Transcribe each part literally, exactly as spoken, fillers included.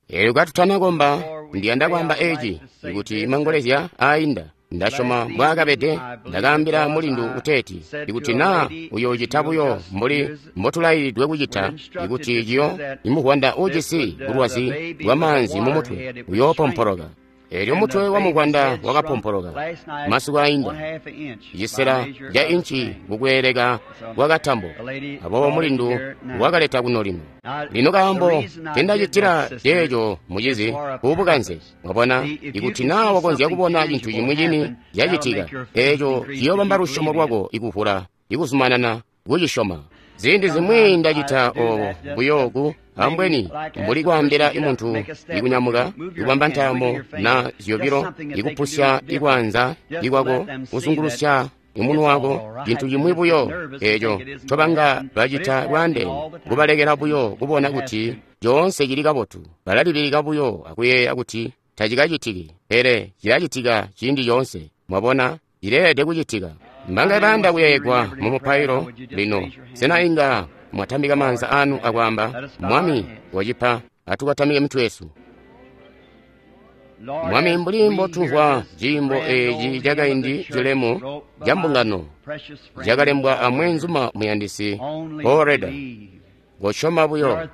Elyo katutanakomba, ndiyanda kwaamba eci, ikuti mangolezya ainda, ndasyoma mbwaakabede, ndakaambila mulindu kuteeti, ikuti naa uyoocita buyo mbuli mbotulailidwe kucita, ikuti ciyo imuvwanda uujisi bulwazi bwamaanzi mumutwe uyoopompoloka. Elyo mutwe wa muvwanda wakapompoloka masiku ainda, cisela ca inci kukweeleka kwa katambo. Aboobo mulindu wakaleta kuno lino. Lino kaambo tendacitila ceeco mucizi kubukanze, mwabona, ikuti naa wakonzya kubona cintu cimwi cini cacitika, eeco ciyoobamba lusyomo lwako ikuvula, ikuzumanana kucisyoma. Ziindi zimwi ndacita oobo buyo ku ambweni mbuli kwaambila muntu ikunyamuka, ikubamba ntaamo na zyobilo, ikupusya ikwaanza ikwako, kuzungulusya imunwe wako, cintu cimwi buyo eeco ncobanga bacita lwaandeene, kubalekela buyo kubona kuti coonse cili kabotu. Balalibilika buyo akuyeeya kuti tacikacitiki, pele cilacitika ciindi coonse. Mwabona, cileelede kucitika. Mbanga bayanda kuyeeyegwa mu mupailo lino, sena inga mwatambika maanza anu akwaamba, Mwami, wacipa, atukatamike mitwe yesu. Mwami, mbuli mbotumvwa ciimbo eeci cakaindi cilemu ca mbungano cakalembwa amweenzuma muyandisi Paul Rader, kosyoma buyo.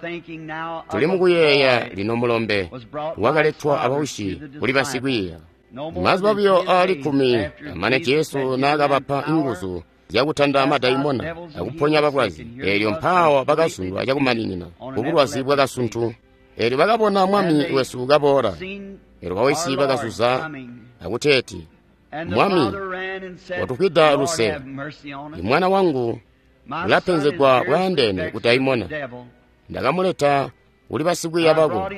Tuli mukuyeeya lino mulombe wakaletwa abausyi kuli basikwiiya. Mazuba buyo aali kkumi amane Jesu naakabapa nguzu zyakutanda madaimona akuponya balwazi, eelyo mpaawa bakazundwa cakumaninina kubulwazi bwakasuntu. Eelyo bakabona Mwami wesu kaboola. Eelyo bawisyi bakazuza akuteeti, Mwami, watufwida luse, imwana wangu ulapenzegwa bwaandeene kudaimona. Ndakamuleta kuli basikwiiya bako,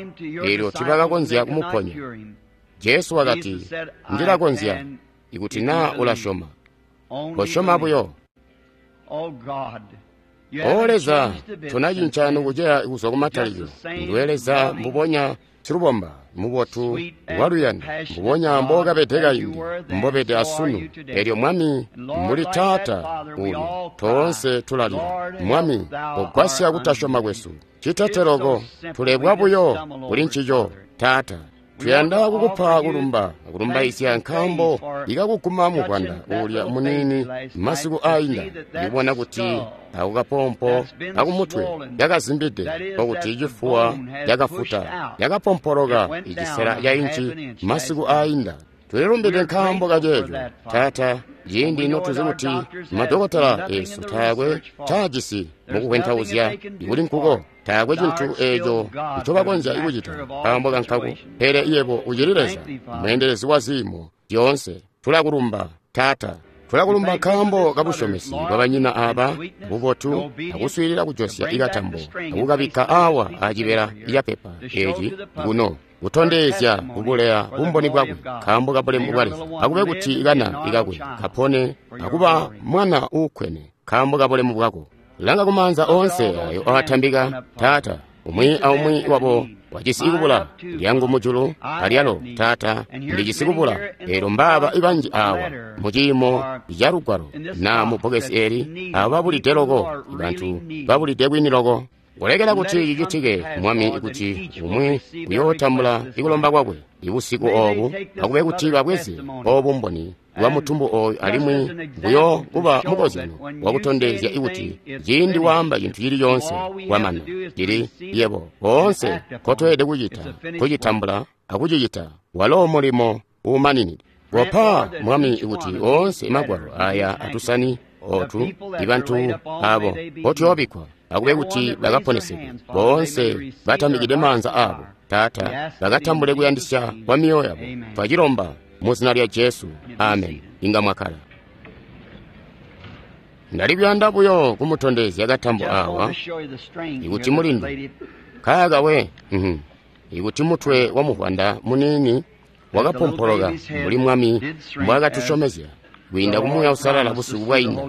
eelyo tiibakakonzya kumuponya. Jesu wakati, ndilakonzya, ikuti naa ulasyoma. Kosyoma buyo. O Leza, tonacinca nukuceya kuzwa kumatalikilo. Nduwe Leza mbubonya silubomba, mubotu, waluyando, mbubonya mbookabede kaindi, mbobede asunu. Elyo Mwami, mbuli Taata uli, toonse tulalila. Mwami, kogwasya kutasyoma kwesu. Citeteloko, tulebwa buyo kuli ncico, Taata. Tuyanda kukupa kulumba, kulumbaizya nkaambo ikakuguma muvwanda uulya muniini masiku ainda, ndikubona kuti ako kapompo akumutwe yakazimbide, okuti cifuwa yakafuta, yakapompoloka icisela ca inci masiku ainda. Tulilumbide nkaambo kaceeco, Taata, ciindi notuzi kuti madokotela esu taakwe caajisi mukukwentauzya ikuli nkuko, taakwe cintu eeco ncobakonzya kucita nkaambo kankako, pele yebo ucili Leza, mweendelezi wa ziimo zyoonse. Tulakulumba, Taata. Tulakulumba nkaambo kabusyomesi bwabanyina aaba, bubotu, akuswiilila kujosya ikatambo, akukabikka awa acibela capepa eeci kuno, kutondezya kubuleya bumboni bwakwe nkaambo kabulemu bwa Leza. Akube kuti kana ikakwe kapone akuba mwana uukkwene nkaambo kabulemu bwako. Langa kumaanza oonse ayo aatambika, Taata, umwi aumwi wabo wajisi ikubula. Lyangu mujulu alyalo, Taata, ndijisi kubula. Eelyo mbaaba ibanji awa muciimo ca lugwalo na mu bbokesi eli, abo babulide loko, bantu babulide kwini loko. Kulekela kuti cicitike, Mwami, kuti umwi uyootambula ikulomba kwakwe ibusiku oobu, akube kuti babweze oobu mboni bwa mutumbu ooyu alimwi buyo kuba mukozyano wakutondezya ikuti ciindi waamba cintu cili coonse kwamana, cili yebo koonse nkotweelede kucita kucitambula akucicita, walo mulimo uumaninide. Kopa, Mwami, kuti oonse magwalo aya atusani otu ibantu abo nkotuyoobikkwa, akube kuti bakaponesegwe boonse batambikide maanza abo, Taata, bakatambule kuyandisya kwa mioyo yabo. Twacilomba mu zina lya Jesu, amen. Inga mwakkala. Ndali kuyanda buyo kumutondezya katambo awa, ikuti mulindu kaaka we, ikuti mutwe wa muvwanda muniini wakapompoloka mbuli Mwami mbwaakatusyomezya kwiinda ku Muuya Uusalala busiku bwainda.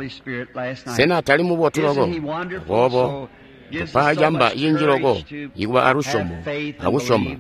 Sena tali mubotu loko? Aboobo tupa camba cinji loko ikuba alusyomo akusyoma.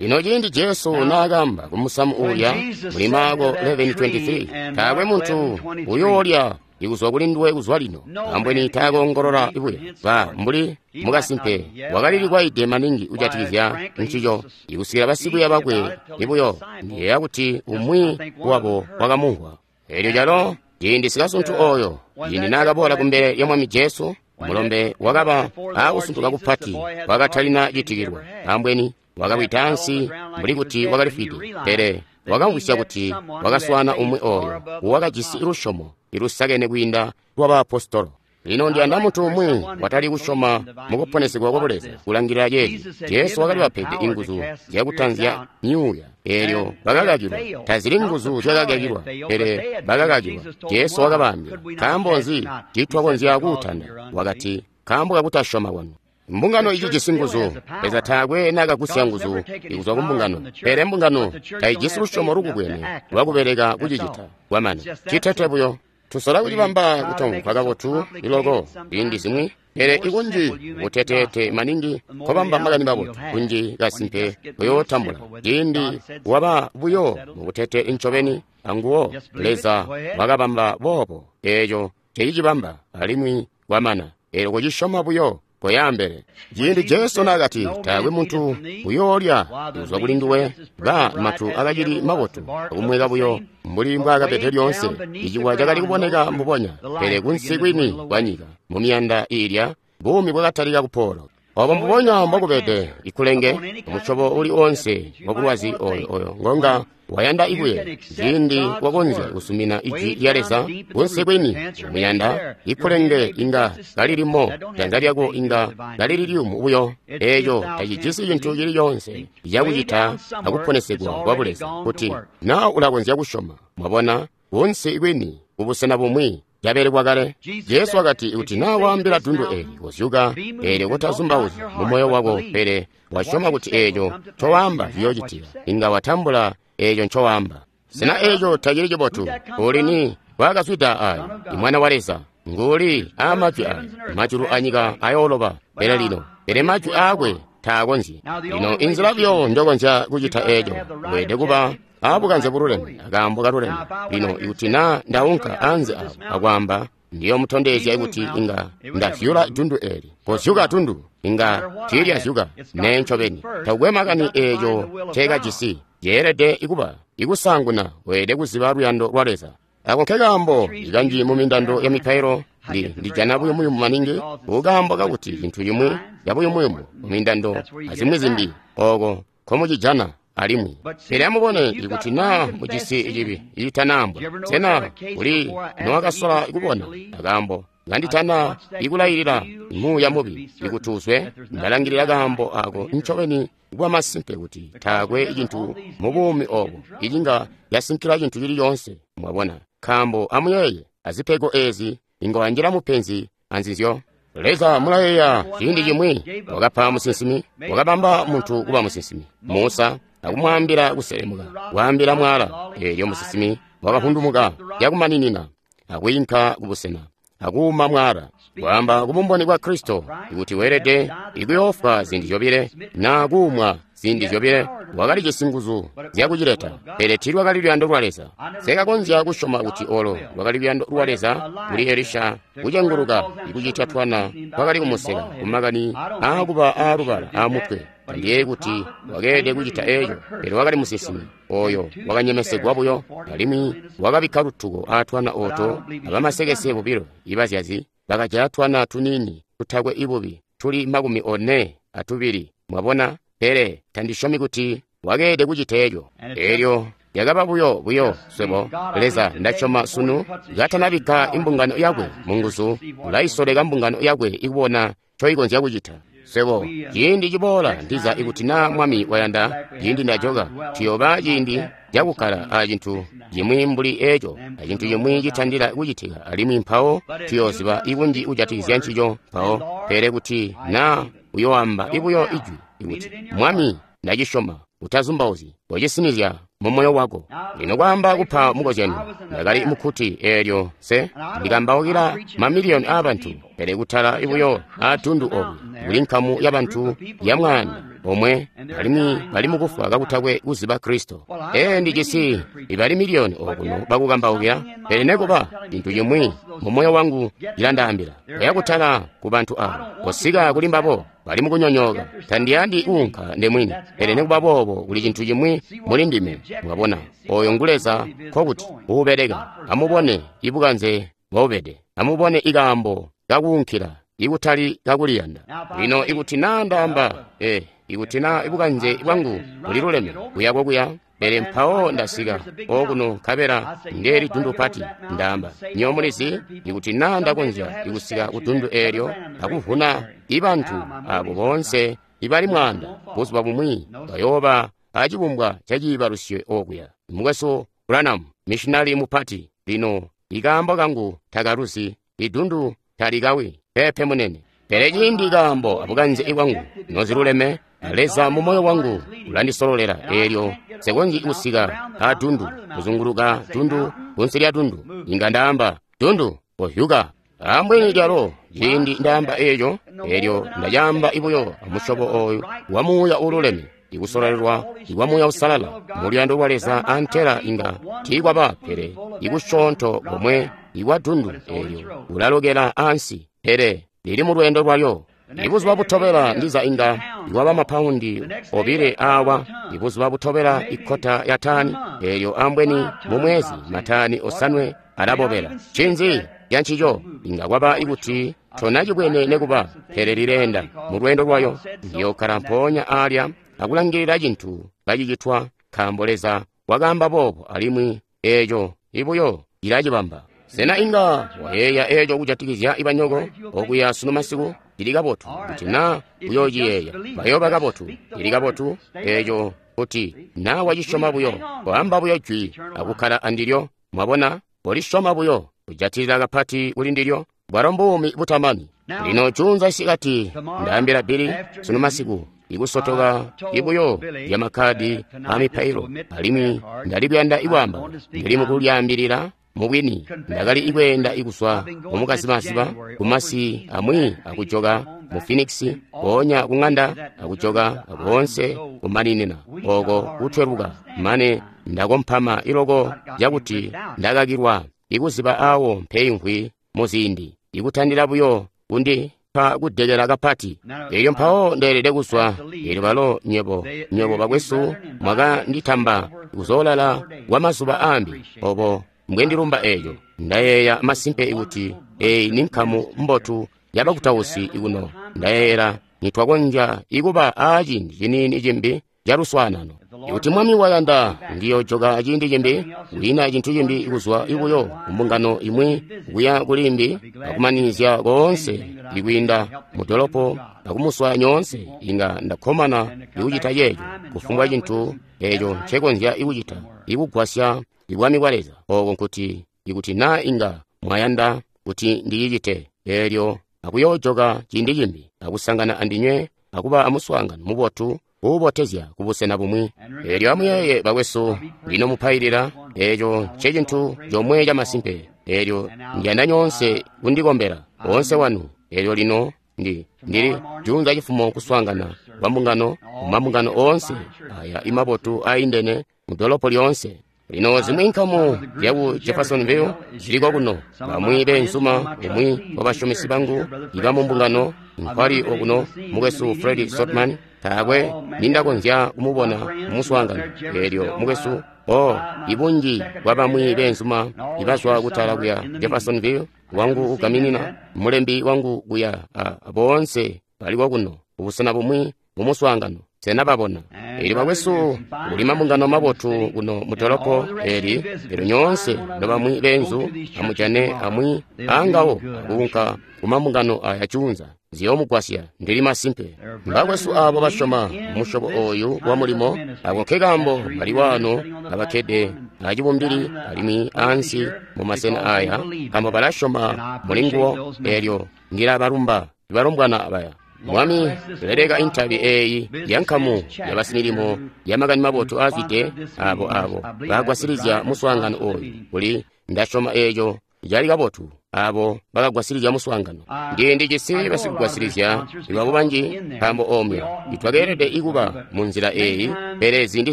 Lino ciindi Jesu naakamba kumusamu uulya muli Maako eleven twenty-three, taakwe muntu uyoolya ikuzwa kuli nduwe kuzwa lino. Ambweni taakoongolola buya ba mbuli mukasimpe wakalilikwayide maningi kujatikizya ncico ikusikila basikwiiya bakwe ibuyo ndiyeeya kuti umwi wabo wakamumvwa. Eelyo calo ciindi sikasuntu oyo ciindi naakaboola kumbele lya Mwami Jesu, mulombe wakaba aakusuntuka kupati wakatalina citikilwa. Ambweni wakawida ansi mbuli kuti wakalifwide, pele wakamvwisya kuti wakaswaana umwi oyo wakajisi lusyomo ilusakene kwiinda lwa baapostolo. Lino ndiyanda muntu umwi watali kusyoma mukuponesegwa kwa Buleza kulangilila ceeci. Jesu wakali bapede inguzu zyakutanzya myuuya, eelyo bakakakilwa. Tazili nguzu zyakakakilwa, pele bakakakilwa. Jesu wakabaambila, nkaambo nzi tiitwakonzya kuutanda? Wakati, nkaambo kakutasyoma kwanu. Mbungano icijisi nguzu. Leza taakwe naakagusya nguzu ikuzwa ku mbungano, pele mbungano taijisi lusyomo lukubwene lwakubeleka kucicita. Kwamana citete buyo. Tusola kucibamba kutamvwa kabotu iloko ziindi zimwi, pele ikunji buteteete maningi kobamba makani mabotu kunji kasimpe kuyootambula. Ciindi waba buyo mubutete ncobeni anguwo, Leza wakabamba boobo. Eeco cecicibamba alimwi kwamana. Eelyo kucisyoma buyo koyaambele. Ciindi Jesu naakati taakwe muntu uyoolya kuzwa kuli nduwe, ba matu akacili mabotu akumweka buyo mbuli mbwaakapede lyoonse. Iciwa cakali kuboneka mbubonya, pele kunsi kwini kwa nyika mumiyanda iilya buumi bwakatalika kupoola. Obo mbubonya mbokubede ikulenge musyobo uli onse wabulwazi oyo oyo ngonga wayanda ikuye. Ciindi wakonzya kusumina ijwi lya Leza kunsi kwini muyanda, ikulenge inga kalilimo, janza lyako inga kalili liyumu buyo. Eeco tacijisi cintu cili coonse cakucita akuponesegwa kwa Buleza kuti na ulakonzya kusyoma. Mwabona, kunsi kwini kubusena bumwi cabelekwa kale. Jesu wakati, kuti naa waambila dundu eeli kozyuka, eelyo kutazumbauzya mu moyo wako, pele wasyoma kuti eeco ncowaamba ciyoocitika, inga watambula eeco ncowaamba. Sena eeco tacili cibotu? Uli ni wakazwida ayo, Imwana wa Leza nguuli aamajwi ayo. Majulu anyika ayooloba, pele lino, pele majwi aakwe taakonzyi. Lino inzila buyo njokonzya kucita eeco, weelede kuba aabukanze bululeme akaambo kaluleme. Lino ikuti naa ndaunka anze awo akwaamba, ndiyomutondezya kuti inga ndazyula dundu eeli. Kozyuka dundu, inga tiilyazyuka. Nee ncobeni, takukwe makani eeco nceekajisi. Yeelede ikuba ikusaanguna weelede kuziba luyando lwa Leza. Ako nkekaambo ikanji mu mindando ya mipailo ndi ndijana buyumuyumu maningi, kukaambo kakuti cintu cimwi cabuyumuyumu mu mindando azimwi zimbi ooko nkomucijana alimwi. Pele amubone, ikuti naa mujisi cibi icitanaambwa, sena kuli nowakasola kubona akaambo kanditana ikulayilila muuya mubi ikuti uzwe? Ndalangilila kaambo ako ncobeni kuba masimpe kuti taakwe cintu mu buumi obo icinga yasinkila cintu cili coonse. Mwabona, nkaambo amuyeeye, azipego eezi inga wanjila mupenzi anzizyo. Leza mulayeeya ciindi cimwi wakapa musinsimi, wakabamba muntu kuba musinsimi, Musa, akumwaambila kuselemuka, kwaambila mwala. Eelyo musinsimi wakahundumuka yakumaninina akwiinka kubusena akuuma mwala, kwaamba kubumboni bwa Kristo ikuti weelede ikuyoofwa ziindi zyobile naa kuumwa ziindi zyobile. Wakalijisi nguzu zyakucileta, pele tiilwakali luyando lwa Leza. Sekakonzya kusyoma kuti olo lwakali luyando lwa Leza kuli Elisha kucenguluka ikucitya twana twakali kumuseka kumakani aakuba aalubala aamutwe. Tandiyeeyi kuti wakeelede kucita eeco, pele wakali musinsimi oyo wakanyemesegwa buyo, alimwi wakabikka lutuko aatwana ooto abamasekese bobilo ibazyazi bakajaya twana tuniini tutakwe ibubi tuli makumi one atubili. Mwabona, pele tandisyomi kuti wakeelede kucita eeco. Eelyo lyakaba buyo buyo swebo. Leza ndasyoma sunu katanabikka imbungano yakwe mu nguzu, ulaisoleka mbungano yakwe ikubona ncoikonzya kucita. Swebo ciindi ciboola ndiza ikuti naa Mwami wayanda, ciindi ndajoka, tuyooba ciindi cakukkala acintu cimwi mbuli eeco, acintu cimwi citandila kucitika, alimwi mpawo tuyooziba ikunji kujatikizya ncico mpawo. Pele kuti naa uyoamba ibuyo ijwi ikuti Mwami ndacisyoma, utazumbauzyi, kocisinizya mu moyo wako. Lino kwaamba kupa mukozyanyo, ndakali mukkuti eelyo se ndikambaukila mamiliyoni aabantu, pele kutala ibuyo aatundu obu kuli nkamu yabantu ya mwaanda omwe, alimwi bali mukufwa kakutakwe kuziba Kristo. Ee, ndijisi ibali miliyoni okuno bakukambaukila, pele nekuba cintu cimwi mu moyo wangu cilandaambila kuya kutala ku bantu abo, kosika kuli mbabo, bali mukunyonyooka. Tandiyandi kuunka ndemwini, pele nekuba boobo kuli cintu cimwi muli ndime. Mwabona, oyo ngu Leza, nkokuti uubeleka. Amubone ibukanze mbobubede, amubone ikaambo kakuunkila, ikutali kakuliyanda. Lino ikuti naa ndaamba, eh, ikuti naa ibukanze bwangu buliluleme kuya kokuya, pele mpawo ndasika okuno nkabela ndeeli dundu pati, ndaamba, nywebo mulizi, ikuti naa ndakonzya kusika ku dundu eelyo akuvuna ibantu abo boonse ibali mwaanda, buzuba bumwi bayooba acibumbwa caciibalusyo okuya. Mukwesu Branham, missionari mupati, lino ikaambo kangu takaluzi, idundu talikawi, pepe munene. Pele ciindi kaambo abukanze bwangu noziluleme, Leza mu moyo wangu ulandisololela, eelyo nsekonzyi kusika a dundu, kuzunguluka dundu, kunsi lya dundu, inga ndaamba, dundu, kohyuka. Ambweni lyalo ciindi ndaamba eeco, eelyo ndacaamba ibuyo amusyobo oyu wa muuya uululeme, ikusololelwa ikwa Muuya Uusalala mu luyando lwa Leza, antela inga tiikwaba pele ikusyoonto komwe ikwa dundu eelyo ulalokela ansi, pele lili mu lweendo lwayo. Ibuzuba butobela ndiza inga ikwaba mapaundi obile awa, ibuzuba butobela ikkota ya tani, eelyo ambweni mu mwezi matani osanwe alabobela. Ncinzi cancico? Inga kwaba ikuti tonacibwene nekuba, pele lileenda mu lweendo lwayo. Ndiyokkala mpoonya alya akulangilila cintu kacicitwa, nkaambo Leza wakaamba boobo, alimwi eeco ibuyo cilacibamba. Sena inga wayeeya eeco kujatikizya ibanyoko okuya sunu masiku? Cili kabotu kuti naa uyoociyeeya, bayooba kabotu. Cili kabotu eeco kuti naa wacisyoma buyo, koamba buyo jwi akukkala andilyo. Mwabona, kolisyoma buyo, kujatilila kapati kuli ndilyo, bwalo mbuumi butamani. Lino juunza isikati ndaambila Billy sunu masiku ikusotoka ibuyo lya makkadi a mipailo, alimwi ndali kuyanda ikwaamba, ndili mukulyaambilila mubwini, ndakali ikweenda ikuzwa mumukazibasiba kumasi amwi akujoka mu Phoenix, mpoonya kung'anda akujoka akoonse kumaninina oko kutweluka, mane ndakompama iloko cakuti ndakakilwa ikuziba awo mpeimvwi muziindi, ikutandila buyo kundi pa kudekela kapati. Elyo mpawo ndeelede kuzwa. Elyo balo nywebo, nywebo bakwesu mwakanditamba kuzoolala kwa mazuba ambi, obo mbwendilumba eeco. Ndayeeya masimpe kuti eyi ni nkamu mbotu yabakutausi ikuno. Ndayeeyela nitwakonzya ikuba aaciindi ciniini cimbi caluswaanano. Ikuti Mwami wayanda, ndiyojoka ciindi cimbi, kwiina cintu cimbi kuzwa ibuyo kumbungano imwi kuya kulimbi, akumanizya koonse ikwiinda mudolopo akumuswaya nyoonse. Inga ndakkomana ikucita ceeco, kufumbwa cintu eeco ncekonzya ikucita ikugwasya ibwami bwa Leza. Oko nkuti ikuti naa inga mwayanda kuti ndicicite, eelyo akuyoojoka ciindi cimbi akusangana andinywe akuba amuswaangano mubotu uubotezya kubusena bumwi. Eelyo amuyeeye bakwesu, lino mupailila, eeco ncecintu comwe camasimpe. Eelyo ndiyanda nyoonse kundikombela, oonse wanu. Eelyo lino ndi ndili juunza cifumo kuswaangana kwa mbungano mumambungano oonse aya imabotu aindene mudolopo lyoonse. Lino zimwi nkamu zyaku Jeffersonville ziliko kuno, bamwi beenzuma, umwi wabasyomesi bangu iba mumbungano nkwali okuno, mukwesu Fred Sotman, taakwe nindakonzya kumubona mumuswaangano. Eelyo mukwesu, oh, ibunji bwa bamwi beenzuma ibazwa kutala kuya Jeffersonville, wangu ugaminina, mulembi wangu kuya, a boonse baliko kuno kubusena bumwi mumuswaangano. Sena babona? Eelyo bakwesu, kuli mambungano mabotu kuno mudolopo eli, elyo nyoonse nobamwi beenzu amujane amwi aangawo akuunka kumambungano aya juunza, ziyoomugwasya. Ndili masimpe mbakwesu aabo basyoma musyobo oyu wa mulimo. Ako nkekaambo bali waano abakkede acibumbili alimwi ansi mumasena aya, nkaambo balasyoma mulinguwo. Eelyo ndilabalumba ibalombwana abaya. Mwami, leleka intabi eeyi ya nkamu yabasimilimo ya makani mabotu aazwide abo abo bagwasilizya muswaangano oyu. Kuli ndasyoma eeco cali kabotu abo bakagwasilizya muswaangano. Ndi ndijisi basikugwasilizya babo banji nkaambo omwe itwakeelede ikuba mu nzila eyi, pele ziindi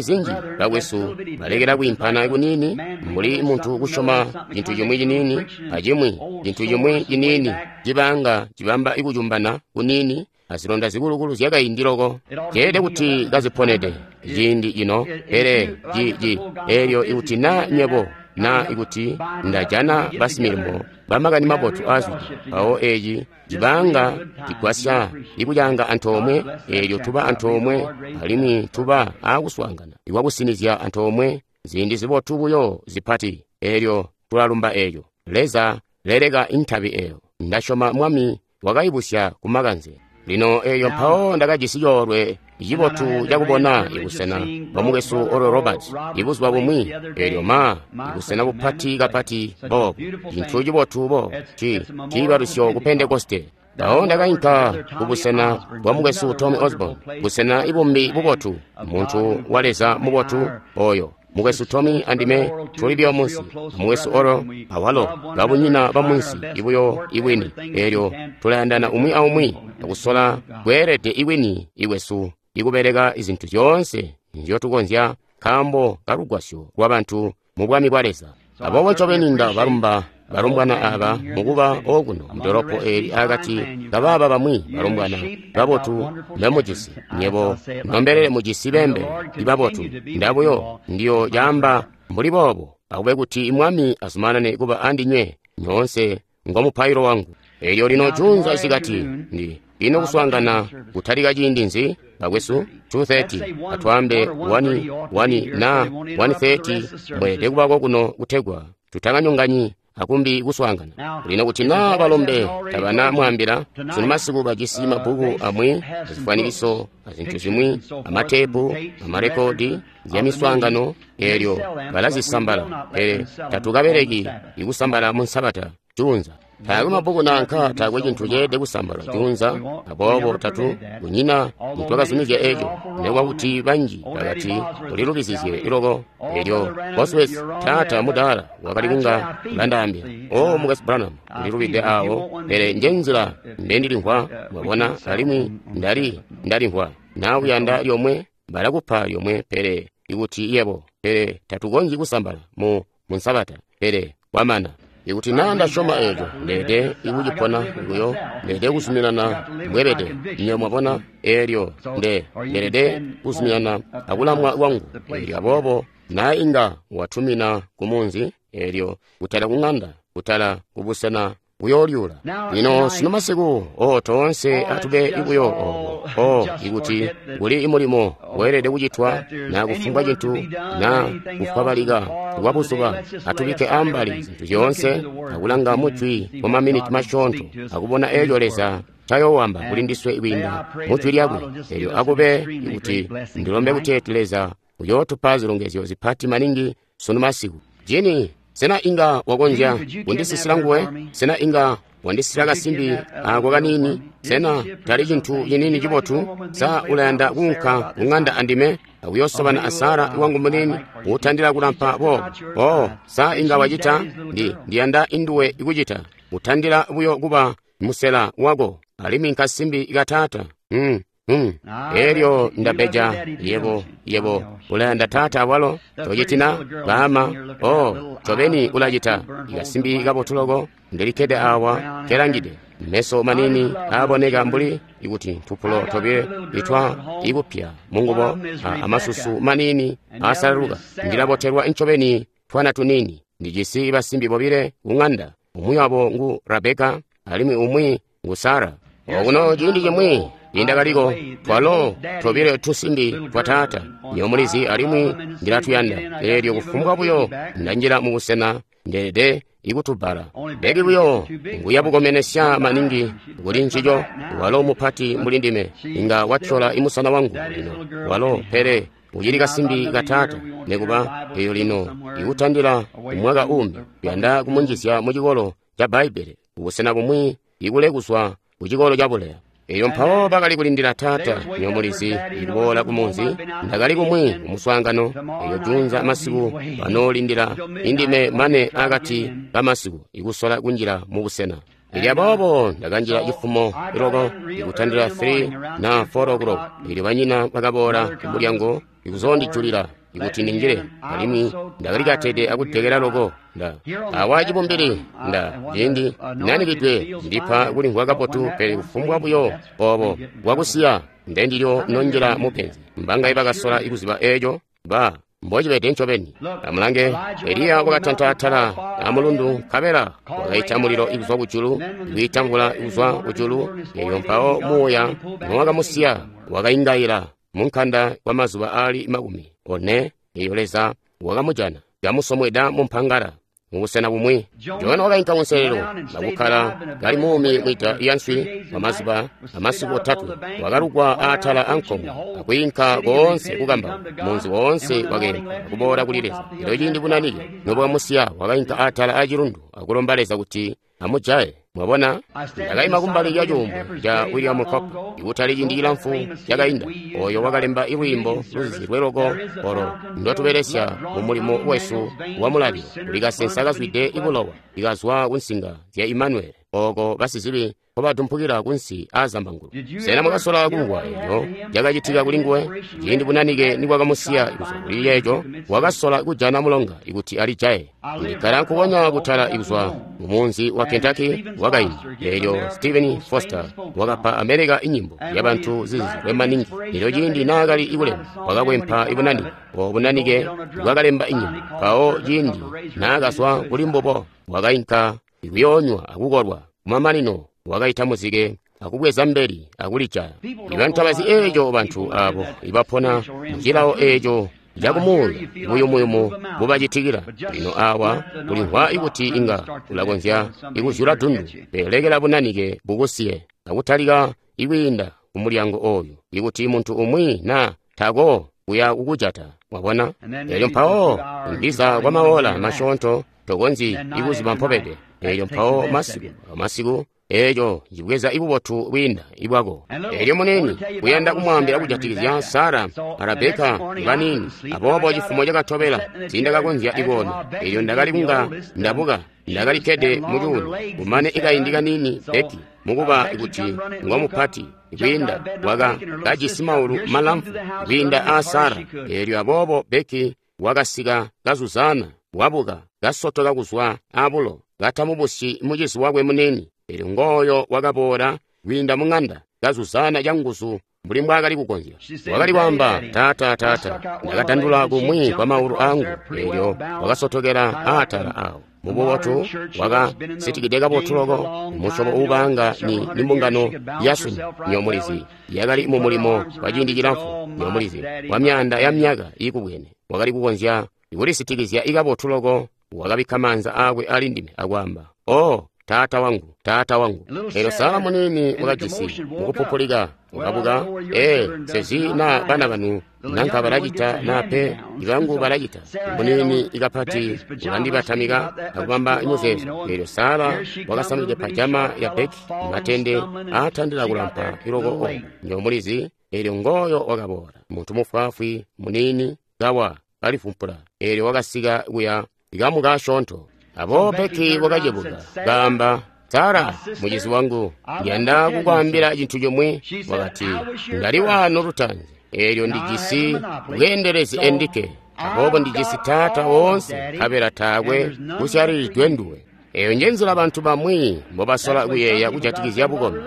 zinji bakwesu balekela kwiimpana kuniini, mbuli muntu kusyoma cintu cimwi ciniini acimwi cintu cimwi ciniini cibanga cibamba ikucumbana kuniini azilonda zikulukulu zyakaindi loko. Ceelede kuti kaziponede ciindi cino, pele ci ci elyo ikuti na nywebo na ikuti ndajana basimilimo bamakani mabotu aazwide, mpawo eci cibanga cigwasya ikulyanga antoomwe, eelyo tuba antoomwe alimwi tuba aakuswaangana ikwakusinizya antoomwe ziindi zibotu buyo zipati, eelyo tulalumba eeyo. Leza leleka intabi eyo. Ndasyoma Mwami wakayibusya kumakanze. Lino eeyo mpawo ndakajisi coolwe cibotu cakubona ibusena bwa mukwesu Oral Roberts ibuzuba bumwi, eelyo ma ibusena bupati kapati boobu, cintu cibotu bo ci ciibalusyo ku Pentekoste. Mpawo ndakainka kubusena bwa mukwesu Tommy Osborn, busena ibumbi bubotu, muntu wa Leza mubotu oyo. Mukwesu Tommy andime tuli buyo munsi, mukwesu Oral awalo babunyina bamunsi ibuyo ibwini, eelyo tulayandana umwi aumwi akusola kweelede ibwini ikwesu ikubeleka izintu zyoonse nzyotukonzya nkaambo kalugwasyo lwabantu mu bwami bwa Leza. Aboobo ncobeni ndabalumba balumbwana aba mukuba okuno mudolopo eli akati kabaaba bamwi balumbwana babotu mbemujisi. Nyebo nombelele mujisi bembe ibabotu, ndabuyo ndiyo caamba mbuli boobo, akube kuti Mwami azumanane kuba andinywe nyoonse ngomupailo wangu. Elyo lino junza isikati ndi ino kuswaangana kutalika ciindi nzi bakwesu? two thirty atwaambe one, one na one thirty mweelede kubako kuno kutegwa tutakanyonganyi akumbi kuswaangana. Lino kuti na balombe tabana mwambila, sunu masiku bajisi mabbuku amwi azifwanikiso azintu zimwi amateepu amarekodi zya miswaangano, eelyo balazisambala, pele tatukabeleki ikusambala mu Nsabata junza. Taakwe mabbuku nanka taakwe cintu ceelede kusambalwa junza, aboobo tatu kunyina nitwakazumizya eco, nekuba kuti banji bakati ulilubizizye iloko. Elyo Bosworth taata mudaala wakali kunga ulandaambila, o mukwesu Branham, ulilubide awo, pele nje nzila mbendilimvwa, mwabona, alimwi ndali ndalimvwa. Na uyanda lyomwe balakupa lyomwe, pele ikuti yebo, pele tatukonzyi kusambala mu mu Nsabata, pele kwamana. Ikuti na ndasyoma eco, ndeede ikucipona buyo, ndeede kuzuminana mbwebede, nyo mwabona, eelyo nde ndeelede kuzuminana akulamwa kwangu. Elyo aboobo na inga watumina ku munzi, eelyo kutala ku ng'anda, kutala kubusena buyoolyula. Lino sunu masiku, o toonse atube ibuyo obo, o ikuti kuli mulimo weelede kucitwa na kufumbwa cintu na kufwabalika kwa buzuba, atubike ambali zintu zyoonse akulanga mujwi kwa maminiti masyoonto akubona eeco Leza ncayowamba kuli ndiswe kwiinda mujwi lyakwe. Elyo akube ikuti ndilombe kuteeti Leza uyootupa zilongezyo zipati maningi sunu masiku. Jini, sena inga wakonzya kundisisila nguwe? Sena inga wandisisila kasimbi ako kaniini? Sena tali cintu ciniini cibotu? Sa ulayanda kuunka kung'anda andime akuyosobana a Sara wangu muniini utandila kulampa boobo? Oh, sa inga wacita? Ndi ndiyanda induwe ikucita. Utandila buyo kuba musela wako, alimwi nkasimbi kataata. Mm. Mm. Elyo ndabeja yebo yebo ulayanda taata awalo tocitina baama. Oh, ncobeni ulacita. Ikasimbi kabotu loko ndilikede awa kelangide, meso manini aaboneka mbuli ikuti ntupulo tobile itwa ikupya mungubo, amasusu manini aasalaluka. Ndilabotelwa ncobeni twana tunini. Ndijisi basimbi bobile kung'anda, umwi wabo ngu Rabeka alimwi umwi ngu Sara. Okuno ciindi cimwi indakaliko twalo tobile tusimbi twa taata, nyomulizi, alimwi ndilatuyanda. Eelyo kufumbwa buyo ndanjila mubusena ndeelede ikutubala. Beki buyo nguya bukomenesya maningi kuli ncico. Walo mupati mbuli ndime, inga watyola imusana wangu lino walo, pele ucili kasimbi ka taata. Nekuba eyo lino ikutandila umwaka uumbi kuyanda kumunjizya mu cikolo ca Bbaibbele kubusena bumwi ikule kuzwa ku cikolo ca buleya. Elyo mpawo bakali kulindila taata, nyomulizi, ikuboola ku munzi. Ndakali kumwi kumuswaangano. Elyo junza masiku banoolindila indime mane akati kamasiku ikusola kunjila mu busena. Elyo aboobo ndakanjila cifumo iloko ikutandila three na four o'clock. Elyo banyina bakaboola ku mulyango ikuzondijulila ikuti ninjile, alimwi ndakali katede akutekela loko. Nda awa cibumbili nda ciindi nanikidwe ndipa kulimvwa kabotu, pele kufumbwa buyo obo bwakusiya ndendilyo nonjila mupenzi. Mbangaye bakasola ikuziba eeco ba mbocibede ncobeni. Amulange, Eliya wakatanta atala amulundu nkabela wakaita mulilo ikuzwa kujulu, ikwiita mvula ikuzwa kujulu. Elyo mpawo muuya nowakamusiya wakaingaila munkanda kwa mazuba aali makumi one. Eyo Leza wakamujana kamusomweda mumpangala mubusena bumwi. Jona wakainka kunselelo akukkala kali muumi mwida lyanswi kwa mazuba amasiku otatwe. Wakalugwa atala ankomwe akwiinka koonse kukambauka munzi woonse wakeempwa akuboola kuli Leza. Elyo ciindi bunanike nobwamusiya wakainka atala acilundu akulomba Leza kuti amujaye. Mwabona, ndakaima kumbali lya cuumbwe ca William Cooper ikutali ciindi cilamfu cakainda, oyo wakalemba ilwiimbo luzizilwe loko olo ndotubelesya mu mulimo wesu wa mulalilo. Kuli kasensa kazwide ibulowa ikazwa kunsinga zya Immanuel, oko basizibi nkobadumpukila kunsi aazambangulwe. Sena mwakasola kumvwa eco cakacitika kuli nguwe? Ciindi bunanike nibwakamusiya kuzwa kuli yeeco, wakasola kujana mulonga ikuti alijaye. Ndikkala nkukonya kutala ikuzwa mu munzi wa Kentucky wakaindi. Elyo Stephen Foster wakapa America inyimbo yabantu zizizilwe maningi. Elyo ciindi naakali ikulemba, wakakwempa ibunanike. Obo bunanike bwakalemba inyimbo. Mpawo ciindi naakazwa kuli mbubo, wakainka ikuyoonywa akukolwa. Kumamanino wakaita muzike akubweza mbeli akulijaya. Ibantu abazi eeco bantu abo ibapona mucilawo eeco cakumuuya buyumuyumu bubacitikila. Lino awa kulimvwa ikuti inga ulakonzya ikuzyula dundu, pele bunanike bukusiye akutalika ikwiinda kumulyango oyu ikuti muntu umwi na tako kuya kukujata. Wabona? Elyo mpawo ndiza kwa maola masyoonto tokonzyi ikuziba mpobede. Elyo mpawo masiku masiku eeco cibweza ibubotu bwiinda ibwako. Elyo munini kuyanda kumwaambila kujatikizya Sara a Rebeka baniini. Aboobo cifumo cakatobela tiindakakonzya ikuona. Elyo ndakali kunga ndabuka, ndakali kkede mucuuno. Kumane ikaindi kanini Beki mukuba kuti ngwamupati kwiinda waka kajisi maulu malamfu kwiinda a Sara. Elyo aboobo Beki wakasika kazuzana, wabuka kasotoka kuzwa abulo katamubusyi mucizi wakwe munini. Elyo ngooyo wakaboola kwiinda mung'anda kazuzana canguzu mbuli mbwaakali kukonzya. Wakali kwaamba, taata taata, ndakatandula kumwi kwa maulu angu. Elyo wakasotokela atala awo mububotu wakasitikide kabotu loko musyobo uubanga ni nimbungano yasunu nyomulizi yakali mu mulimo kwa ciindi cilamfu nyomulizi kwa myaanda ya myaka iikubwene. Wakali kukonzya kulisitikizya ikabotu loko. Wakabikka maanza aakwe ali ndime akwaamba, o taata wangu, taata wangu. Elyo Sara munini wakajisi mukupupulika wakabuka. Ee, sezi na bana banu nanka balacita na pe ibangu balacita. Munini ikapati ulandibatamika akubamba imuzeezo. Elyo Sara wakasamide pajama ya Beki matende aatandila kulampa iloko o nyomulizi. Elyo ngooyo wakaboola muntu mufwaafwi munini kawa kalifumpula. Elyo wakasika kuya ikamuka asyoonto. Aboobo Beki wakacebuka kaamba, Sara mucizi wangu, ndiyanda kukwaambila cintu chomwe. Wakati, ndali wano lutanzi, elyo ndijisi bweendelezi endike, aboobo ndijisi taata woonse, nkabela taakwe kusyalilidwe nduwe. Eyo njenzila bantu bamwi mbobasola kuyeeya kujatikizya bukombi.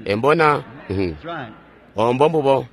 Embona ombo mbubo.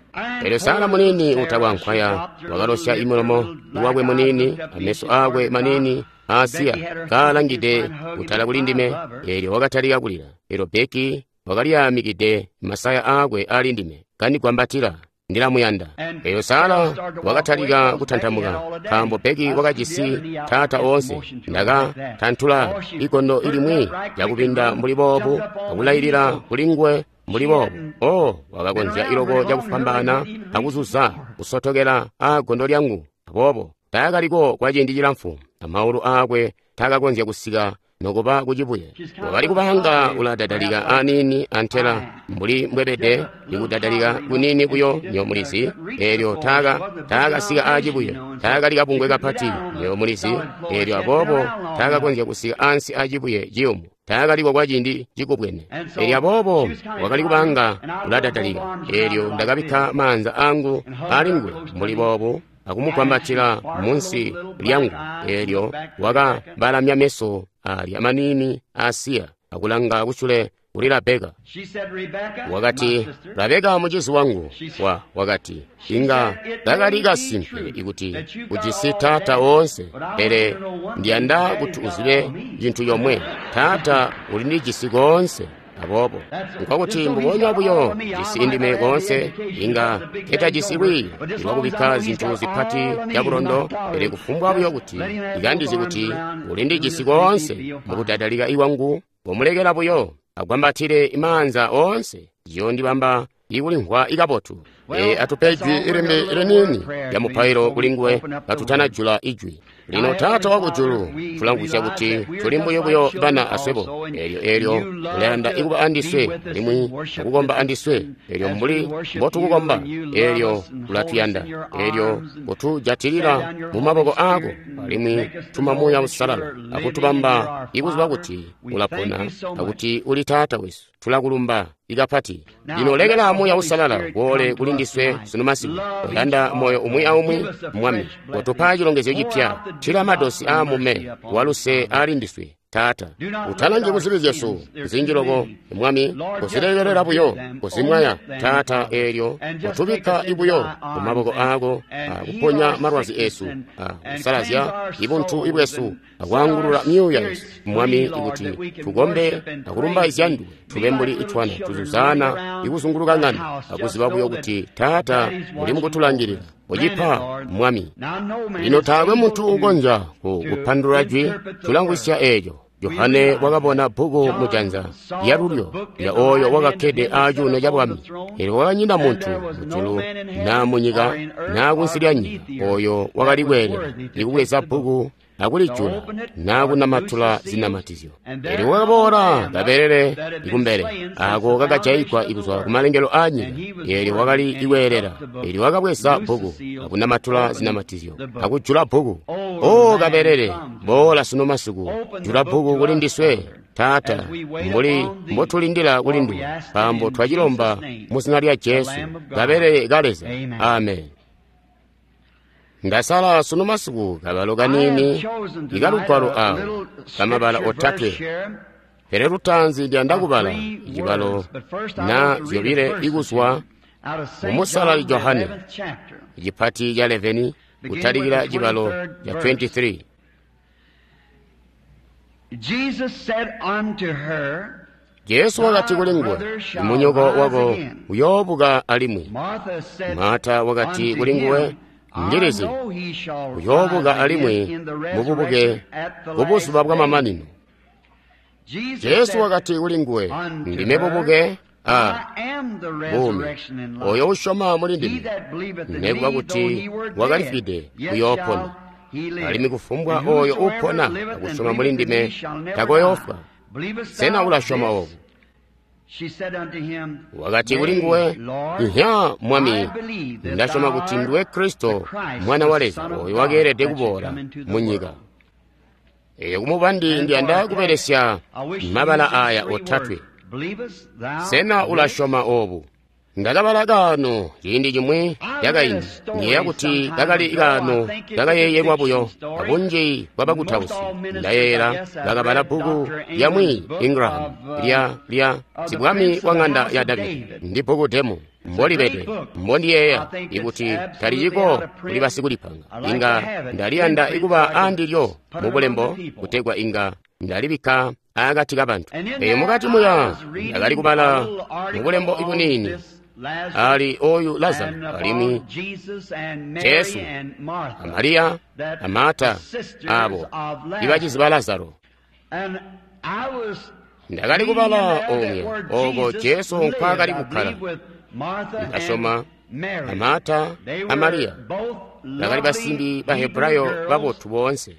Elyo Sara munini utakwankwaya wakalosya imulomo wakwe munini ameso akwe manini asiya kaalangide kutala kuli ndime. Elyo wakatalika kulila. Elyo Beki wakaliyamikide masaya akwe ali ndime kandigwambatila, ndilamuyanda. Elyo Sara wakatalika kutantamuka nkaambo Beki wakajisi taata oonse. Ndakatantula ikondo ilimwi lyakupinda mbuli boobu akulailila kuli nguwe mbuli boobu. O wakakonzya iloko cakufwambaana akuzuza kusotokela aagondo lyangu. Aboobo taakaliko kwa ciindi cilamfu, amaulu aakwe taakakonzya kusika nokuba kucibuye. Wakali kubanga uladadalika aniini antela mbuli mbwebede ikudadalika kuniini buyo nyo mulizi. Eelyo taaka taakasika aacibuye, taakali kabungwe kapati nyo mulizi. Eelyo aboobo taakakonzya kusika ansi aacibuye ciyumu, taakaliko kwa ciindi cikubwene. Eelyo aboobo wakali kubanga uladadalika. Eelyo ndakabikka maanza angu alinguwe mbuli boobu akumugwambatila munsi lyangu. Eelyo wakabalamya meso alya maniini asiya akulanga kusule kuli Rabeka. Wakati, Rabeka mucizi wangu. Wa wakati, inga kakali kasimpe ikuti ujisi taata woonse, pele ndiyanda kuti uzibe cintu comwe, taata ulindijisi koonse. Aboobo nkokuti mbubonya buyo jisi indime koonse, inga ketajisi lwiiyo lwakubikka zintu zipati cabulondo, pele kufumbwa buyo kuti ikandizi kuti ulindijisi koonse mukudadalika iwangu, komulekela buyo agwambatile maanza oonse, ziyondibamba ikulimvwa ikabotu. E, atupe ijwi ilimbi liniini lya mupailo kulinguwe katutanajula ijwi. Lino Taata wakujulu, tulangusya kuti tuli mbuyo buyo bana aswebo. Eelyo eelyo ulayanda ikuba andiswe alimwi akukomba andiswe. Eelyo mbuli mbotukukomba, eelyo ulatuyanda. Eelyo kutujatilila mu maboko aako alimwi tuma Muuya Uusalala akutubamba ikuziba kuti ulapona akuti uli Taata wesu. Tulakulumba ikapati. Lino lekela Muuya Uusalala woole kuli ndiswe sunu masiku. Oyanda moyo umwi aumwi, Mwami, kotupa cilongezyo cipya. Thila madosi aamume waluse ali ndiswe, Taata. Utalangi kuzibi zyesu zinji loko, Mwami, kuzilekelela buyo, kuzimwaya, Taata. Eelyo kutubikka ibuyo mu maboko aako, akuponya malwazi esu, akusalazya ibuntu ibwesu, akwaangulula myuuya yesu, Mwami, ikuti tukombe akulumbaizya nduwe. Tube mbuli itwana tuzuzana ikuzunguluka ng'anda, akuziba buyo kuti Taata uli mukutulangilila. Ucipa, Mwami. Lino taakwe muntu ukonzya kupandulula jwi, tulangwisya eeco. Yohane wakabona bbuku mujanza lyalulyo lya oyo wakakkede aacuuno ca bwami. Eelyo kwakanyina muntu mujulu naa munyika naa kunsi lya nyika oyo wakali kweelela ikubweza bbuku akulijula naa kunamatula zinamatizyo. Eelyo kwakaboola kabelele ikumbele ako kakajayigwa ikuzwa kumalengelo aanyika. Eelyo wakali ikweelela. Eelyo wakabweza bbuku akunamatula zinamatizyo akujula bbuku. O kabelele, boola sunu masiku, jula bbuku kuli ndiswe, Taata, mbuli mbotulindila kuli nduwe, nkaambo twacilomba mu zina lya Jesu, kabelele ka Leza. Amen. Ndasala sunu masiku kabalo kaniini ikalugwalo awo kamabala otatwe, pele lutaanzi ndiyanda kubala icibalo na zyobile ikuzwa mu Musalali Johane icipati ca eleveni kutalikila cibalo ca twenty-three. Jesu wakati kuli nguwe, munyoko wako uyoobuka alimwi. Marta wakati kuli nguwe, ndilizi uyoobuka alimwi mububuke kubuzuba bwamamanino. Jesu wakati kuli nguwe, ndime bubuke a buumi. Oyo usyoma muli ndime, nekuba kuti wakalifwide, uyoopona. Alimwi kufumbwa oyo upona akusyoma muli ndime takoyoofwa. Sena ulasyoma obu? Wakati kuli nguwe, Nhya, Mwami, ndasyoma kuti nduwe Kristo, Mwana wa Leza, oyo wakeelede kuboola mu nyika. Eyo kumubandi ndiyanda kubelesya mabala aya otatwe. Sena ulasyoma obu? Ndakabala kaano ciindi cimwi cakaindi, ndiyeeya kuti kakali kaano kakayeeyelwa buyo abunji bwabakutausi. Ndayeeyela bakabala bbuku lyamwi Ingram lya lya sibwami wa ng'anda ya Davidi, ndi bbuku demu mbolibede mbondiyeeya ikuti taliciko kuli basikulipanga. Inga ndaliyanda ikuba andilyo mubulembo kutegwa inga ndalibikka akati kabantu. Eyo mukati muya ndakali kubala mubulembo ibuniini ali oyu Lazaro alimwi Jesu a Mariya a Marta abo ibacizi ba Lazaro. Ndakali kubala omwe oko Jesu nkwaakali kukkala. Ndasyoma a Marta a Mariya bakali basimbi ba Hebrayo babotu boonse.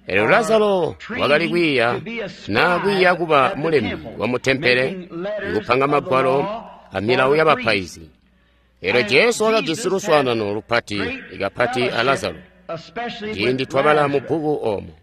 Elyo Lazaro wakali kwiiya naa kwiiya kuba mulembi wa mutempele, ikupanga magwalo a milawo yabapaizi. Elyo Jesu wakajisi luswaanano lupati ikapati a Lazaro. Ciindi twabala mu bbuku oomo,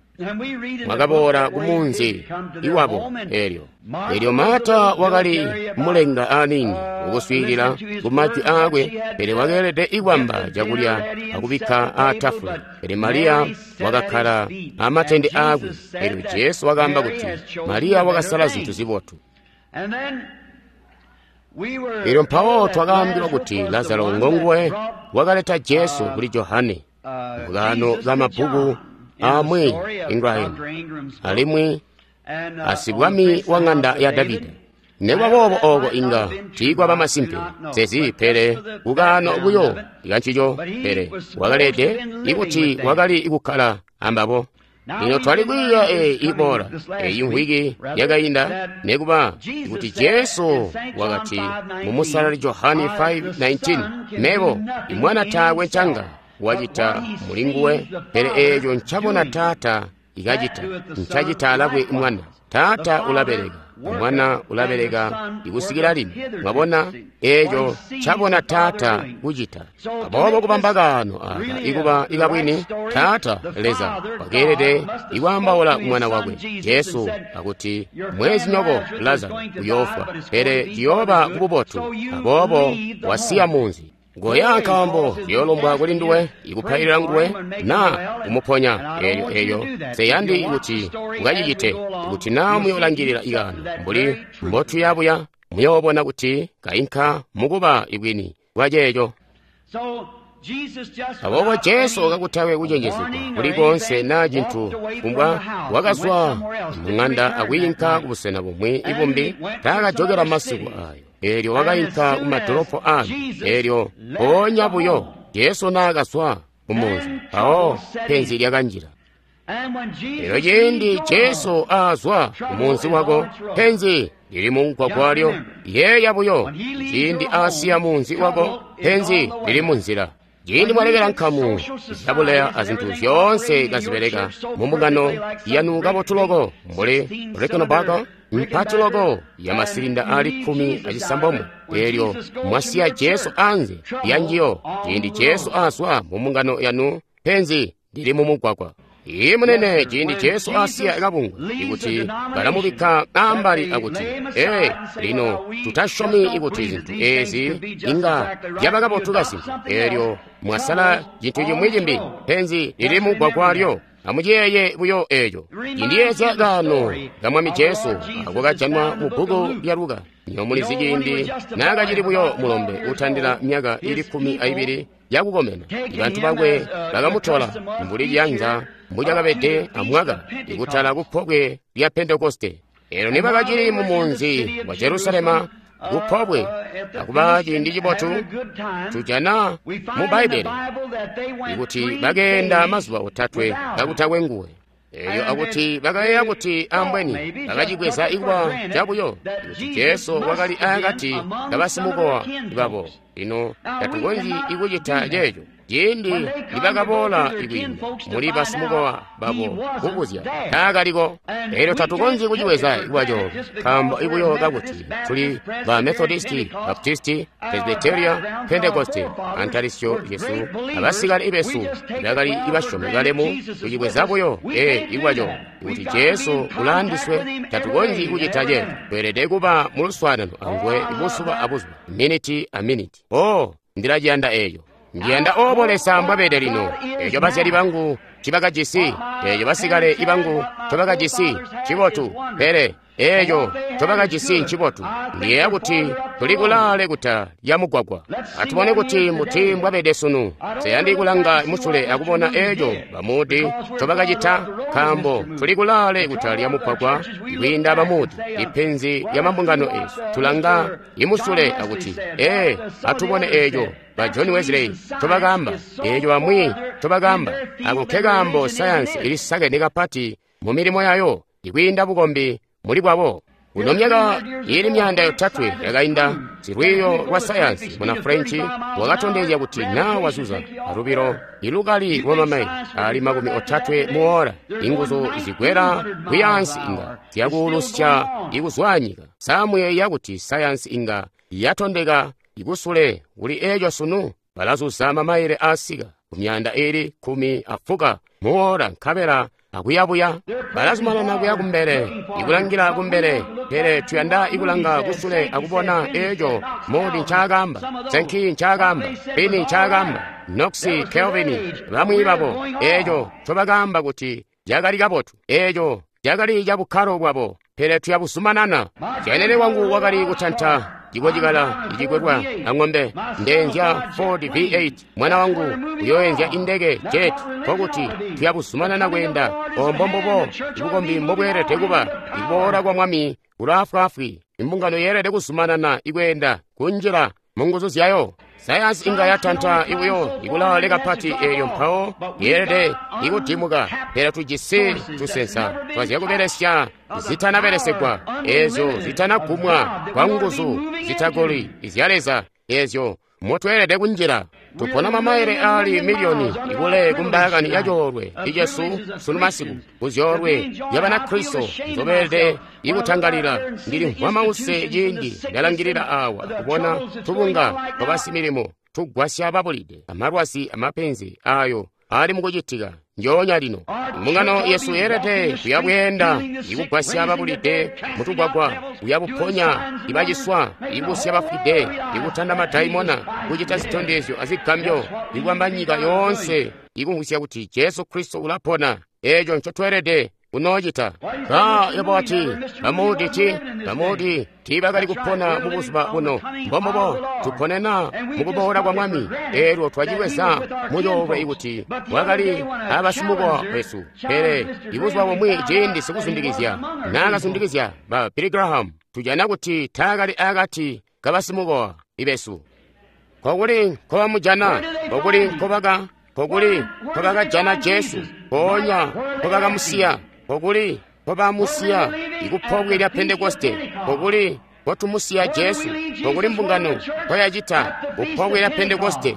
mwakaboola kumunzi iwabo elyo. Elyo Marta wakali mulenga aniini ukuswiilila ku majwi aakwe, pele wakeelede ikwamba cakulya akubikka aatafule. Pele Mariya wakakkala amatende aakwe. Elyo Jesu wakaamba kuti Mariya wakasala zintu zibotu. Elyo mpawo twakaambilwa kuti Lazaro ngonguwe wakaleta Jesu kuli Johane mukaano kamabbuku amwi Ingraham alimwi asibwami wa ng'anda ya Davida. Nekuba boobo ooko inga tiikwaba masimpe sezi, pele kukaano buyo kancico, pele wakalede ikuti wakali kukkala ambabo. Lino twali kwiiya eyi iboola eyi mvwiki yakainda, nekuba kuti Jesu wakati mu Musalali Johane five nineteen, mebo imwana taakwe ncanga wacita mulinguwe, pele eeco ncabona Taata ikacita, ncacita alakwe mwana. Taata ulabeleka, mwana ulabeleka ikusikila lino. Mwabona eeco ncabona Taata kucita. Aboobo kubamba kaano aka ikuba ikabwini, Taata Leza wakeelede ikwaambaula kumwana wakwe Jesu akuti mwezinyoko Lazaro uyoofwa, pele ciyooba kububotu. Aboobo wasiya munzi. Goya nkaambo ziyoolombwa kuli nduwe ikupailila nguwe naa kumuponya. Eelyo eeyo seyandi kuti ukacicite. Kuti naa muyoolangilila ikaano mbuli mbotuyabuya, muyoobona kuti kainka mukuba ibwini bwaceeco. Aboobo Jesu kakutakwe kucenjezegwa kuli koonse naa cintu kumbwa, wakazwa mung'anda akwiinka kubusena bumwi ibumbi. Taakajokela masiku aayo. Eelyo wakainka kumadolopo aambi. Eelyo mpoonya buyo Jesu naakazwa kumunzi, mpawo penzi lyakanjila. Eelyo ciindi Jesu aazwa kumunzi wako, penzi lili mumugwagwa lyo. Yeeya buyo, ciindi aasiya munzi wako, penzi lili munzila. Ciindi mwalekela nkamu zyabuleya azintu zyoonse kazibeleka mumbungano yanu kabotu loko, mbuli Rickenbacker mpati loko ya masilinda ali kkumi acisambomwe, eelyo mwasiya Jesu anze yanjiyo. Ciindi Jesu azwa mumbungano yanu, penzi lili mumugwagwa. Iye munene, ciindi Jesu asiya kabungwe ikuti balamubikka ambali akuti, ee, lino tutasyomi ikuti zintu ezi inga zyaba kabotu kasimpe. Eelyo mwasala cintu cimwi cimbi, penzi lili mugwagwa lyo. Amuciyeeye buyo eeco. Cindiyeezya kaano ka Mwami Jesu ako kajanwa mu bbuku lya Luka. Nyo mulizi ciindi naakacili buyo mulombe utandila myaka ili kkumi aibili yakukomena, bantu bakwe bakamutola mbuli ciyanza mbucakabede amwaka ikutala kupobwe lya Pentekoste. Eelyo nibakacili mu munzi wa Jerusalema kupobwe akuba ciindi cibotu, tujana mu Bbaibbele ikuti bakeenda mazuba otatwe kakutakwe nguwe. Eelyo akuti bakayeeya kuti ambweni bakacibweza ikuba cabuyo kuti Jesu wakali akati kabasimukowa babo. Lino tatukonzyi ikucita ceeco. Ciindi nibakaboola ikwiinda muli basimukowa babo kubuzya, taakaliko. Eelyo tatukonzyi kucibweza ikuba coobo, nkaambo ibuyo kakuti tuli ba Methodisti, Baptisti, Presbyteria, Pentekoste, antalisyo yesu abasikale besu bakali ibasyomi balemu, kucibweza buyo ee ikuba coobo kuti Jesu ulaandiswe. Tatukonzyi kucita ceeco. Tweelede kuba muluswaanano anguwe buzuba abuzuba, miniti a miniti. Oh, ndilaciyanda eeco. Ndiyanda obo Leza mbwabede lino. Eeco bazyali bangu ncibakajisi, eeco basikale ibangu ncobakajisi ncibotu, pele eeco ncobakajisi ncibotu. Ndiyeeya kuti tuli kulaale kuta lya mugwagwa. Atubone kuti mbuti mbwabede sunu. Nseyandi kulanga musule akubona eeco bamuudi ncobakacita, nkaambo tuli kulaale kuta lya mugwagwa kwiinda bamuudi. Ipenzi lya mambungano eesu, tulanga imusule akuti, ee, atubone eeco ba John Wesley ncobakaamba, eeco bamwi ncobakaamba. Ako nkekaambo sayansi ilisakene kapati mu milimo yayo ikwiinda bukombi muli bwabo. Kuno myaka ili myaanda yotatwe yakainda, silwiiyo lwa sayansi muna French wakatondezya kuti naa wazuza alubilo ilukali lwa mamaile ali makumi otatwe muora, inguzu zigwera kuyaansi inga zyakuulusya ikuzwanyika. Samuyeeya kuti sayansi inga yatondeka ikusule kuli eeco sunu? Balazuza mamaile asika kumyaanda ili kumi afuka muora nkabela akuyabuya balazumanana kuya kumbele, ikulangila kumbele, pele tuyanda ikulanga kusule akubona eeco Moody ncaakaamba, Sankey ncaakaamba, Finney ncaakaamba, Knox, Calvin, bamwi babo, eeco ncobakaamba kuti cakali kabotu, eeco cakali cabukkalo bwabo, pele tuyabuzumanana. Syanene wangu wakali kutanta cikocikala icikwelwa ang'ombe, ndeenzya Ford V eight, mwana wangu uyoenzya indeke jet. Nkokuti tuyabuzumanana kweenda. Ombo mbubo ibukombi mbobweelede kuba. Ikuboola kwa Mwami kulaafwaafwi. Imbungano yeelede kuzumanana ikweenda kunjila munguzu zyayo. Sayansi inga yatanta ibuyo ikulaale kapati eeyo mpawo yeelede ikudimuka, pele tujisi tusensa twazyakubelesya zitanabelesegwa, eezyo zitanagumwa kwa nguzu zitagoli izya Leza, eezyo motweelede kunjila. Tupona mamaile ali miliyoni ikule kumbaakani ya coolwe icesu sunu masiku, kuzyoolwe zya Banakristo nzobeelede ikutangalila. Ndilimvwa mause ciindi ndalangilila awa kubona tubunga twabasimilimo tugwasya babulide, amalwazi amapenzi ayo ali mukucitika njoonya lino. Mbungano yesu yeelede kuyabweenda ikugwasya babulide mutugwagwa, kuyabuponya ibaciswa, ibusya bafwide, ikutanda madaimona, kucita zitondezyo azigambyo, ikwamba nyika yoonse ikumvwisya kuti Jesu Kristo ulapona. Eeco ncotweelede kunoocita. Ba yebo wati, Bamudi ti Bamudi tiibakali kupona mubuzuba buno. Mbombubo tuponena mukuboola kwa Mwami. Eelyo twacibweza mucoolwe ikuti wakali abasimukowa wesu. Pele ibuzuba bumwi ciindi sikuzundikizya naakazundikizya ba Billy Graham, tujana kuti taakali akati kabasimukowa ibesu. Kokuli nkobamujana, kokuli nkobaka, kokuli nkobakajana Jesu, mpoonya nkobakamusiya, kokuli nkobamusiya ikupobwe lya Pentekoste, kokuli nkotumusiya Jesu, kokuli mbungano nkoyacita kupobwe lya Pentekoste.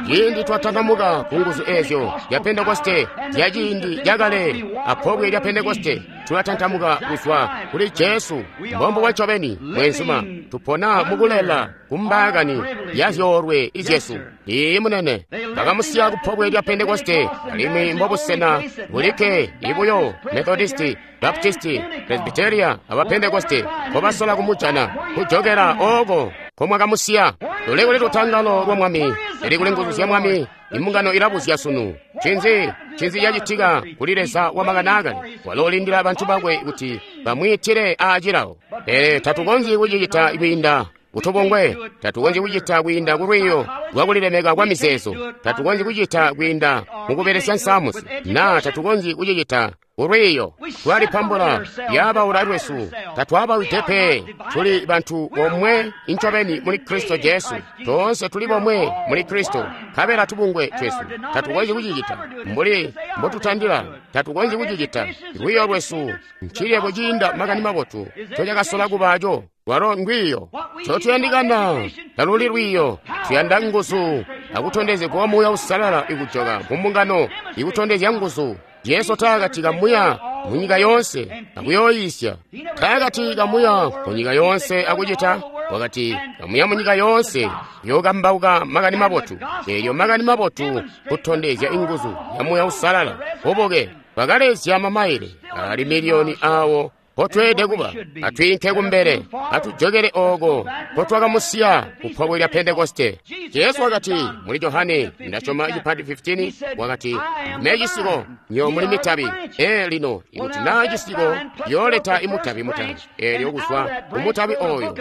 Ciindi twatakamuka ku nguzu eezyo zya Pentekoste zya ciindi cakale apobwe lya Pentekoste, tulatantamuka kuzwa kuli Jesu. Mbombubo ncobeni, mweenzuma, tupona mukulela kumbaakani ya zyoolwe izyesu. Iiyi munene, bakamusiya kupobwe lya Pentekoste, alimwi mbobusena bulikke ibuyo Methodisti, Baptisti, Presbyteria aba Pentekoste nkobasola kumujana kujokela ooko nkomwakamusiya. Luli kuli lutangalo lwa Mwami, lili kuli nguzu zya Mwami. Imbungano ilabuzya sunu, ncinzi ncinzi cacitika kuli Leza wamakani aakale? Walo ulindila bantu bakwe kuti bamwiitile aacilawo. Pele tatukonzyi kucicita kwiinda kutubongwe, tatukonzyi kucita kwiinda kulwiiyo lwakulilemeka kwa mizeezo, tatukonzyi kucita kwiinda mukubelesya nsamusi, naa tatukonzyi kucicita kulwiiyo. Twalipambula lyabaula lwesu, tatwabawide pe. Tuli bantu bomwe incobeni muli Kristo Jesu. Toonse tuli bomwe muli Kristo, nkabela tubungwe twesu tatukonzyi kucicita mbuli mbotutandila, tatukonzyi kucicita. Lwiiyo lwesu ncilebo ciinda makani mabotu ncocakasola kubaaco. Lwalo ndwiiyo. Ncotuyandikana taluli lwiiyo, tuyanda nguzu akutondezegwa Muuya Uusalala ikujoka mumbungano ikutondezya nguzu. Jesu taakati kamuya munyika yoonse akuyooyiisya, taakati kamuya munyika yoonse akucita, wakati kamuya munyika yoonse kuyookambauka makani mabotu. Eelyo makani mabotu kutondezya inguzu ya Muuya Uusalala. Bubuke bwakalezya mamaile ali miliyoni awo mpotweelede kuba. Atwiinke kumbele, atujokele ooko mpotwakamusiya kupobwe lya Pentekoste. Jesu wakati muli Johane, ndasyoma icipati fifteen, wakati, "Ndime cisiko, nywebo muli mitabi." Ee lino, ikuti naa cisiko yooleta imutabi mutabi, eelyo kuzwa kumutabi oyo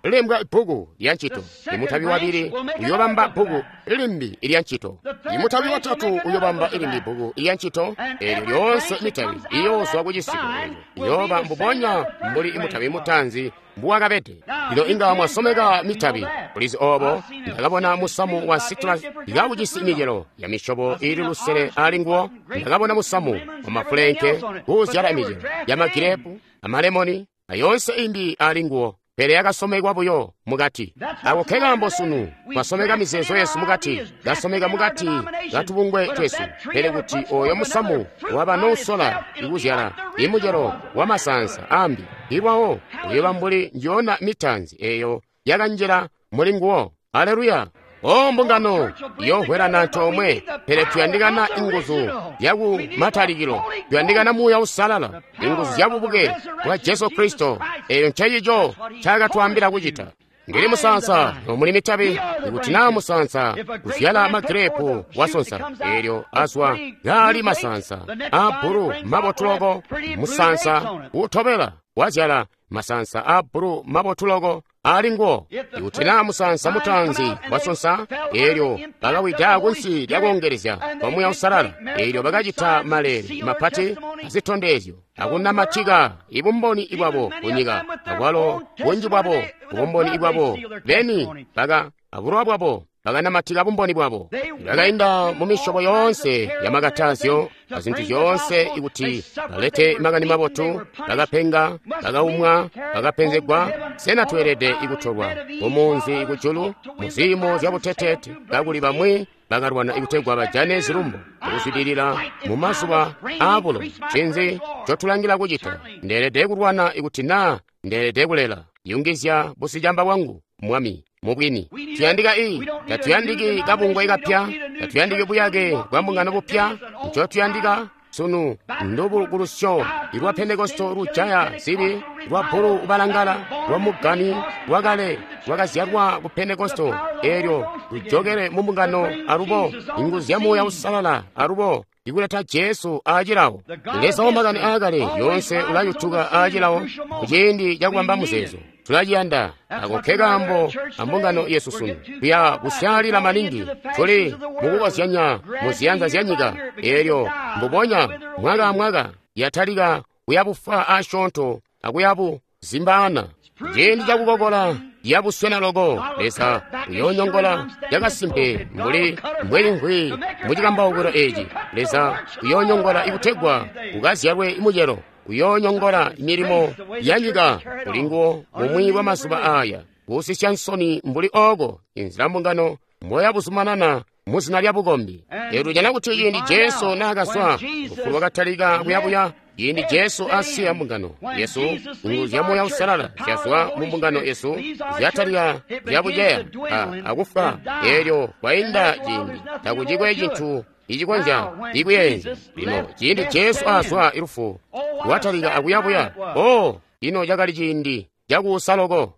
lwalembwa bbuku lya ncito. Imutabi wabili uyobamba bbuku limbi lya ncito. Imutabi watatu uyobamba ilimbi bbuku lya ncito. Eelyo lyoonse mitabi iyoozwa kucisiko eeco iyooba mbubonya mbuli imutabi mutaanzi mbuwakabede. Lino inga mwasomeka mitabi. Kulizi oobo, ndakabona musamu wa citrus ikawujisi micelo ya misyobo iili lusele ali nguwo. Ndakabona musamu wa mafulenke kuuzyala micelo ya magirepu, amalemoni, ayoonse imbi ali nguwo, pele yakasomekwa buyo mukati. Ako nkekaambo sunu twasomeka mizeezo yesu mukati, kasomeka mukati katubungwe twesu. Pele kuti oyo musamu waba nousola ikuzyala imucelo wa masansa ambi, ilwawo uyoba mbuli njiyona mitanzi eyo yakanjila muli nguwo. Aleluya! O mbungano yohwelana antoomwe, pele tuyandikana inguzu zyaku matalikilo, tuyandikana Muuya Uusalala, inguzu zya bubuke bwa Jesu Kristo. Eyo ncencico ncaakatwaambila kucita. Ndili musansa, nomuli mitabi. Ikuti naa musansa kuzyala magirepu wasonsa, eelyo azwa kaali masansa aabbulu mabotu loko, musansa utobela wazyala masansa aabbulu mabotu loko ali nguwo. Ikuti naa musansa mutaanzi wasonsa, eelyo bakawida kunsi lyakoongelezya kwa Muuya Uusalala, eelyo bakacita maleele mapati azitondezyo akunamatika ibumboni bwabo kunyika, akwalo bunji bwabo bumboni bwabo beni baka abulowa bwabo bakanamatika bumboni bwabo. Bakainda mu misyobo yoonse ya makatazyo azintu zyoonse ikuti balete makani mabotu. Bakapenga, bakaumwa, bakapenzegwa. Sena tweelede ikutolwa mumunzi kujulu muziimo zyabuteteete, kakuli bamwi bakalwana ikutegwa bajane zilumbo akuzwidilila mu mazuba aabulo? Ncinzi ncotulangila kucita? Ndeelede kulwana ikuti naa ndeelede kulela. Yungizya busicamba bwangu, Mwami. Mubwini tuyandika i tatuyandiki kabungwe kapya, tatuyandiki buyake bwa mbungano bupya. Ncotuyandika sunu ndubukulusyo lwa Pentekosto lujaya zibi, lwa bbulu ubalangala, lwa mugani lwakale lwakazyalwa ku Pentekosto, eelyo lujokele mu mbungano alubo inguzu zya Muuya Uusalala alubo ikuleta Jesu aacilawo. Leza wamakani aakale yoonse ulayutuka aacilawo kuciindi cakubamba muzeezo. Tulaciyanda. Ako nkekaambo ambungano yesu sunu tuya kusyaalila maningi, tuli mukukozyanya mu ziyanza zya nyika, eelyo mbubonya mwaka amwaka yatalika kuyabufa asyoonto akuyabu zimbaana. Ciindi cakukokola yabuswena loko, Leza uyoonyongola cakasimpe mbuli mbwelimvwi mucikambaukilo eeci. Leza uyoonyongola ikutegwa ukazyalwe mucelo, uyoonyongola milimo ya nyika kuli nguwo mumwi wa mazuba aaya, kuusisya nsoni mbuli ooko inzila mbungano mboyabuzumanana muzina lya bukombi. Eelyo tujana kuti ciindi Jesu naakazwa, lufu lwakatalika kuyabuya. Ciindi Jesu asiya mbungano yesu, inguzu zya Muuya Uusalala zyazwa mu mbungano yesu, zyatalika kuyabuceya akufwa. Eelyo kwainda ciindi takucikwe cintu icikonzya ikuyeenzya. Lino ciindi Jesu azwa, ilufu lwatalika akuyabuya. O ino cakali ciindi cakuusa loko!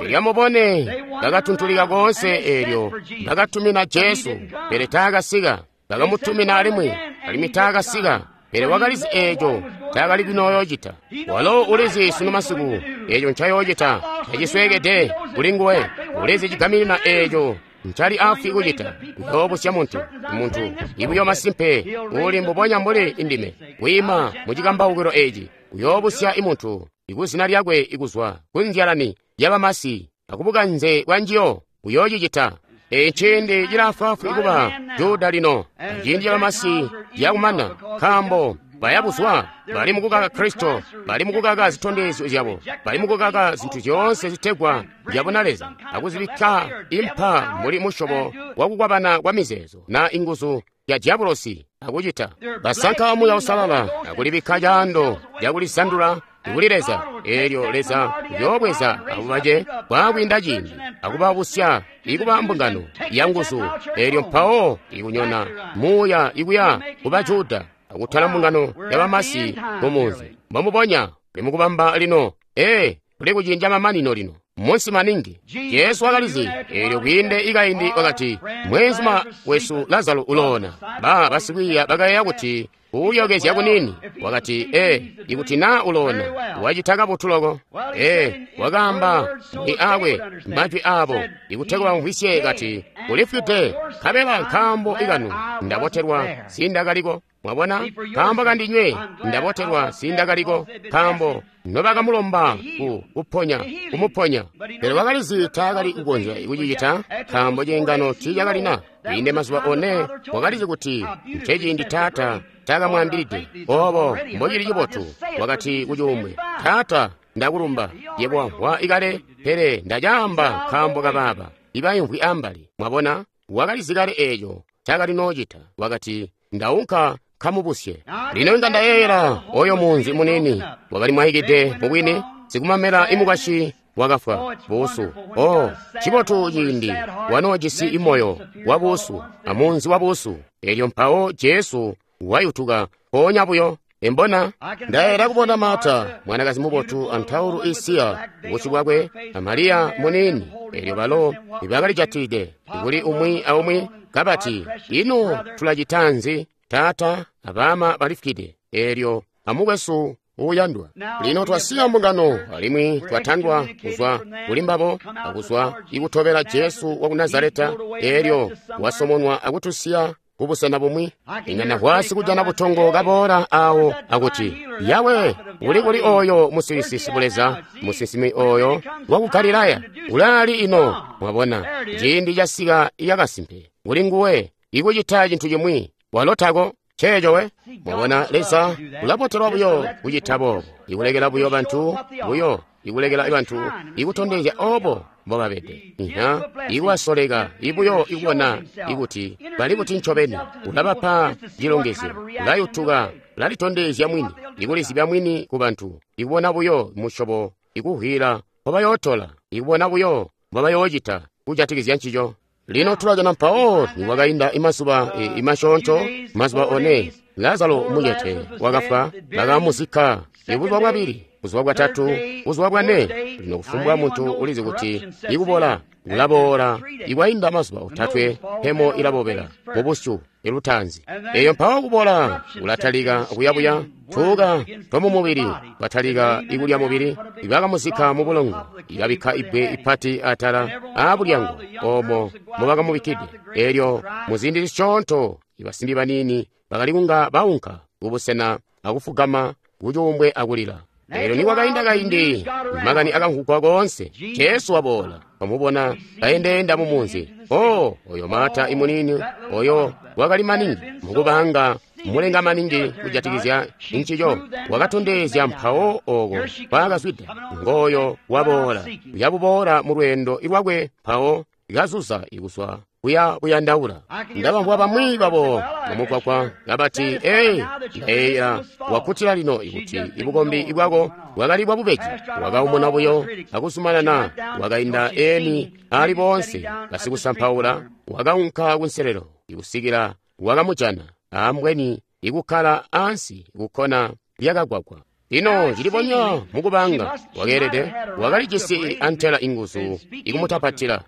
Elyo mubone, bakatuntulika koonse. Eelyo bakatumina Jesu, pele taakasika. Bakamutumina alimwi, alimwi taakasika. Pele wakalizi eeco ncaakali kunooyoocita. Walo ulizi sunu masiku eeco ncayoocita, tacisweekede kuli nguwe. Ulizi cigaminina eeco ncali afwi kucita. Uyoobusya muntu, muntu ibuyo masimpe uli mbubonya mbuli indime kwiima mucikambaukilo eeci. Uyoobusya imuntu ikuzina lyakwe ikuzwa kunzyalani yabamasi akubukanze bwa njiyo. Uyoocicita. Eeci ciindi cilaafwaafwi kuba Juda lino, ciindi cabamasi cakumana, nkaambo bayabuzwa, bali mukukaka Kristo, bali mukukaka zitondezyo zyabo, bali mukukaka zintu zyoonse zitegwa zyabuna Leza, akuzibikka impa mbuli musyobo wakukwabana kwa mizeezo na inguzu ya diabolosi akucita. Basanka Muuya Uusalala akulibikka caando cakulisandula kuli Leza. Eelyo Leza uyoobweza abo bace kwaakwiinda ciindi akubabusya ikuba mbungano ya nguzu. Eelyo mpawo ikunyona muuya ikuya kuba Juda akutwala mbungano yabamasi mumunzi. Mbomubonya kuli mukubamba lino. Ee, kuli kuciindi mamanino lino, munsi maningi. Jesu wakalizi eelyo kwiinde ikaindi wakati, mwenzuma wesu Lazaro uloona. Ba basikwiiya bakayeeya kuti uulyokezya kunini. Wakati, ee, ikuti naa uloona wacita kabotu loko. Ee, wakaamba ni aakwe majwi aabo ikutegwa bamvwisye, kati, ulifwide, nkabela nkaambo ikanu ndabotelwa sindakaliko. Mwabona, nkaambo kandinywe ndabotelwa sindakaliko, nkaambo nobakamulomba ku kuponya kumuponya. Pele wakalizi taakali kukonzya kucicita, nkaambo ciingano tiicakalina kwiinde mazuba one. Wakalizi kuti nceciindi Taata taakamwaambilide obo mbocili cibotu. Wakati kucuumbwe, Taata Ndakulumba. Yebo wamvwa ikale, pele ndacaamba nkaambo kabaaba ibaimvwi ambali. Mwabona, wakalizi kale eeco cakali noocita. Wakati, ndaunka kamubusye. Lino inga ndayeeyela oyo munzi munini wakali mwaikide mubwini, sikumamela imukwasyi wakafwa buusu. Oh, cibotu ciindi wanoojisi imoyo wa buusu amunzi wa buusu. Elyo mpawo Jesu wayutuka mpoonya buyo. Embona ndayeera kubona Marta, mwanakazi mubotu antaulu isiya busyu bwakwe, a Mariya muniini. Elyo balo ibakalijatilide kuli umwi aumwi kabati, ino tulacita nzi? Taata abama balifukide, elyo amukwesu uuyandwa. Lino twasiya mbungano alimwi twatandwa kuzwa kuli mbabo akuzwa ikutobela Jesu waku Nazareta. Elyo wasomonwa akutusiya kubusena bumwi. Inga nahwasi kujana butongo kaboola awo akuti, Yawe, uli kuli oyo musilisi sibuleza, musinsimi oyo waku Galilaya, ulaali ino? Mwabona, ciindi casika yakasimpe kuli nguwe ikucita cintu cimwi, walo tako. Ceeco we. Mwabona, Leza ulabotelwa buyo kucita boobo, ikulekela buyo bantu buyo, ikulekela bantu ikutondezya obo mbobabede. Iha, ikubasoleka ibuyo ikubona ikuti bali kuti ncobeni. Ulabapa cilongezyo, ulayutuka, ulalitondezya mwini, ikulizibya mwini ku bantu, ikubona buyo musyobo, ikuhwila mbobayootola, ikubona buyo mbobayoocita kujatikizya ncico. Lino tulajana mpawo nikwakainda imazuba imasyoonto, mazuba one, Lazaro mucete wakafwa, bakamuzikka. Ibuzuba bwabili, buzuba bwatatu, buzuba bwane. Lino kufumbwa muntu ulizi kuti ikubola kulaboola. Ikwainda mazuba otatwe, mpemo ilabobela mubusyu ilutaanzi. Eyo mpawo kubola kulatalika kuyabuya, tuuka twamumubili batalika ikulya mubili. Ibakamuzikka mubulongo, ibabikka ibbwe ipati atala aabulyango oomo mubakamubikkide. Elyo muziindi zisyoonto ibasimbi baniini bakali kunga baunka kubusena akufugama kucuumbwe akulila. Elyo nikwakainda kaindi, makani akamvwugwa koonse, Jesu waboola. Wamubona kaendeenda mumunzi. Oh, oyo Marta imunini, oyo wakali maningi mukubanga mulenga maningi kujatikizya ncico, wakatondezya mpawo oko kwaakazwida. Ngooyo waboola, uyabuboola mu lweendo lwakwe mpawo kazuza ikuswa kuya buyandaula. Ndabamvwa bamwi babo mumugwagwa kabati, "Ee, ndayeeyela wakkutila lino ikuti ibukombi bwako bwakali bwabubeji." Wakaumuna buyo akuzumanana, wakainda eni ali boonse basikusampaula, wakaunka kunselelo ikusikila wakamujana ambweni ikukkala ansi kukkona lyakagwagwa. Lino cilibonya mukubanga wakeelede wakalijisi antela inguzu ikumutapatila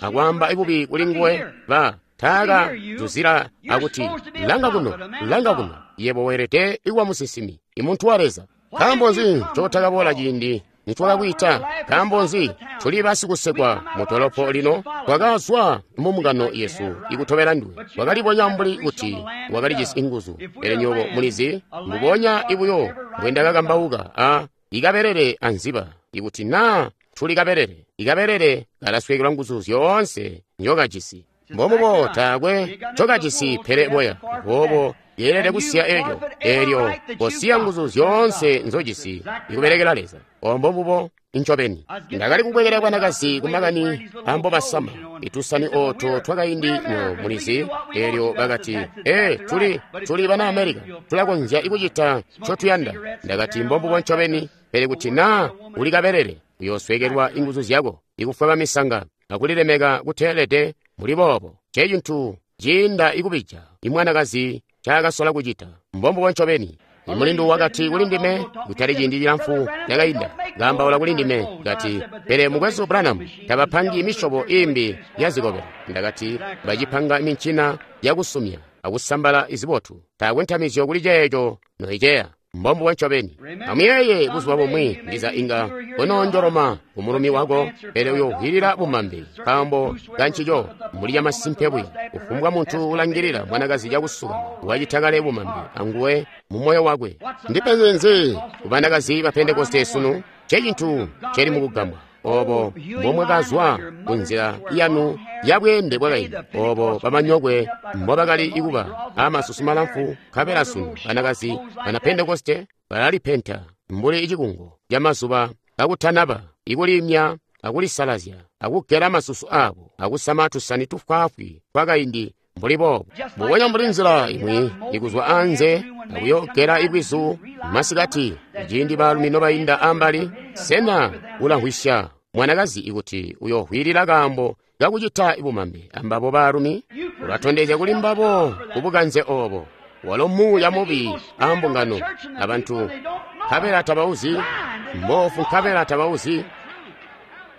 akwaamba ibubi kuli nguwe. Ba taaka zuzila akuti, langa kuno, langa kuno, yebo weelede ikuba musinsimi, imuntu wa Leza. Nkaambo nzi ncotakaboola ciindi nitwakakwiita? Nkaambo nzi tuli basikusekwa mu dolopo lino? Twakazwa mumbungano yesu ikutobela nduwe. Wakalibonya mbuli kuti wakalijisi inguzu. Pele nywebo mulizi, mbubonya ibuyo mbwendakakambauka a ikabelele anziba, ikuti naa tuli kabelele, ikabelele kalasweekelwa nguzu zyoonse nzyokajisi. Mbomubo taakwe ncokajisi pele boya. Boobo yeelede kusiya elyo, elyo kosiya nguzu zyoonse nzojisi ikubelekela Leza. Ombo mbubo incobeni. Ndakali kubwekela bwanakazi kumakani ambobasama itusani oto twakaindi nyo mulizi. Elyo bakati, "Ee, tuli tuli bana Amerika, tulakonzya ikucita ncotuyanda." Ndakati, mbombubo ncobeni, pele kuti naa uli kabelele, uyoosweekelwa inguzu zyako ikufwaba misanga akulilemeka kuteelede muli boobo. Ncecintu ciinda ikubija imwanakazi ncaakasola kucita. Mbombubo ncobeni. Imulindu wakati kuli ndime kutali ciindi cilamfu cakainda, kaambaula kuli ndime, kati, "Pele mukwesu Branham, tabapangi misyobo imbi ya zikobela." Ndakati, bacipanga mincina yakusumya akusambala izibotu. Taakwe ntamizyo kuli ceeco noiceya. Mbombubo ncobeni. Amuyeeye buzuba bumwi ndiza inga konoonjoloma kumulumi wako, pele uyohwilila bumambe nkaambo kancico mbuli camasimpe buya. Kufumbwa muntu ulangilila mwanakazi cakusuka wacita kale bumambe anguwe mu moyo wakwe. Ndipenzi nzi kubanakazi ba Pentekoste sunu? Ncecintu celi mukugambwa. Obo mbomwakazwa kunzila yanu yabweende bwakaindi, obo bamanyokwe mbobakali ikuba amasusu malamfu, nkabela sunu banakazi bana Pentekoste balalipenta mbuli icikungo camazuba kakutanaba, ikulimya akulisalazya, akugela masusu abo, akusama tusani tufwaafwi twakaindi mbuli boobo. Mbubonya mbuli nzila imwi ikuzwa anze akuyogela ibwizu masikati, ciindi baalumi nobainda ambali, sena ulamvwisya mwanakazi ikuti uyohwilila kaambo kakucita ibumambe ambabo baalumi? Ulatondezya kuli mbabo kubukanze oobo. Walo muuya mubi ambungano abantu nkabela tabauzi, mboofu nkabela tabauzi.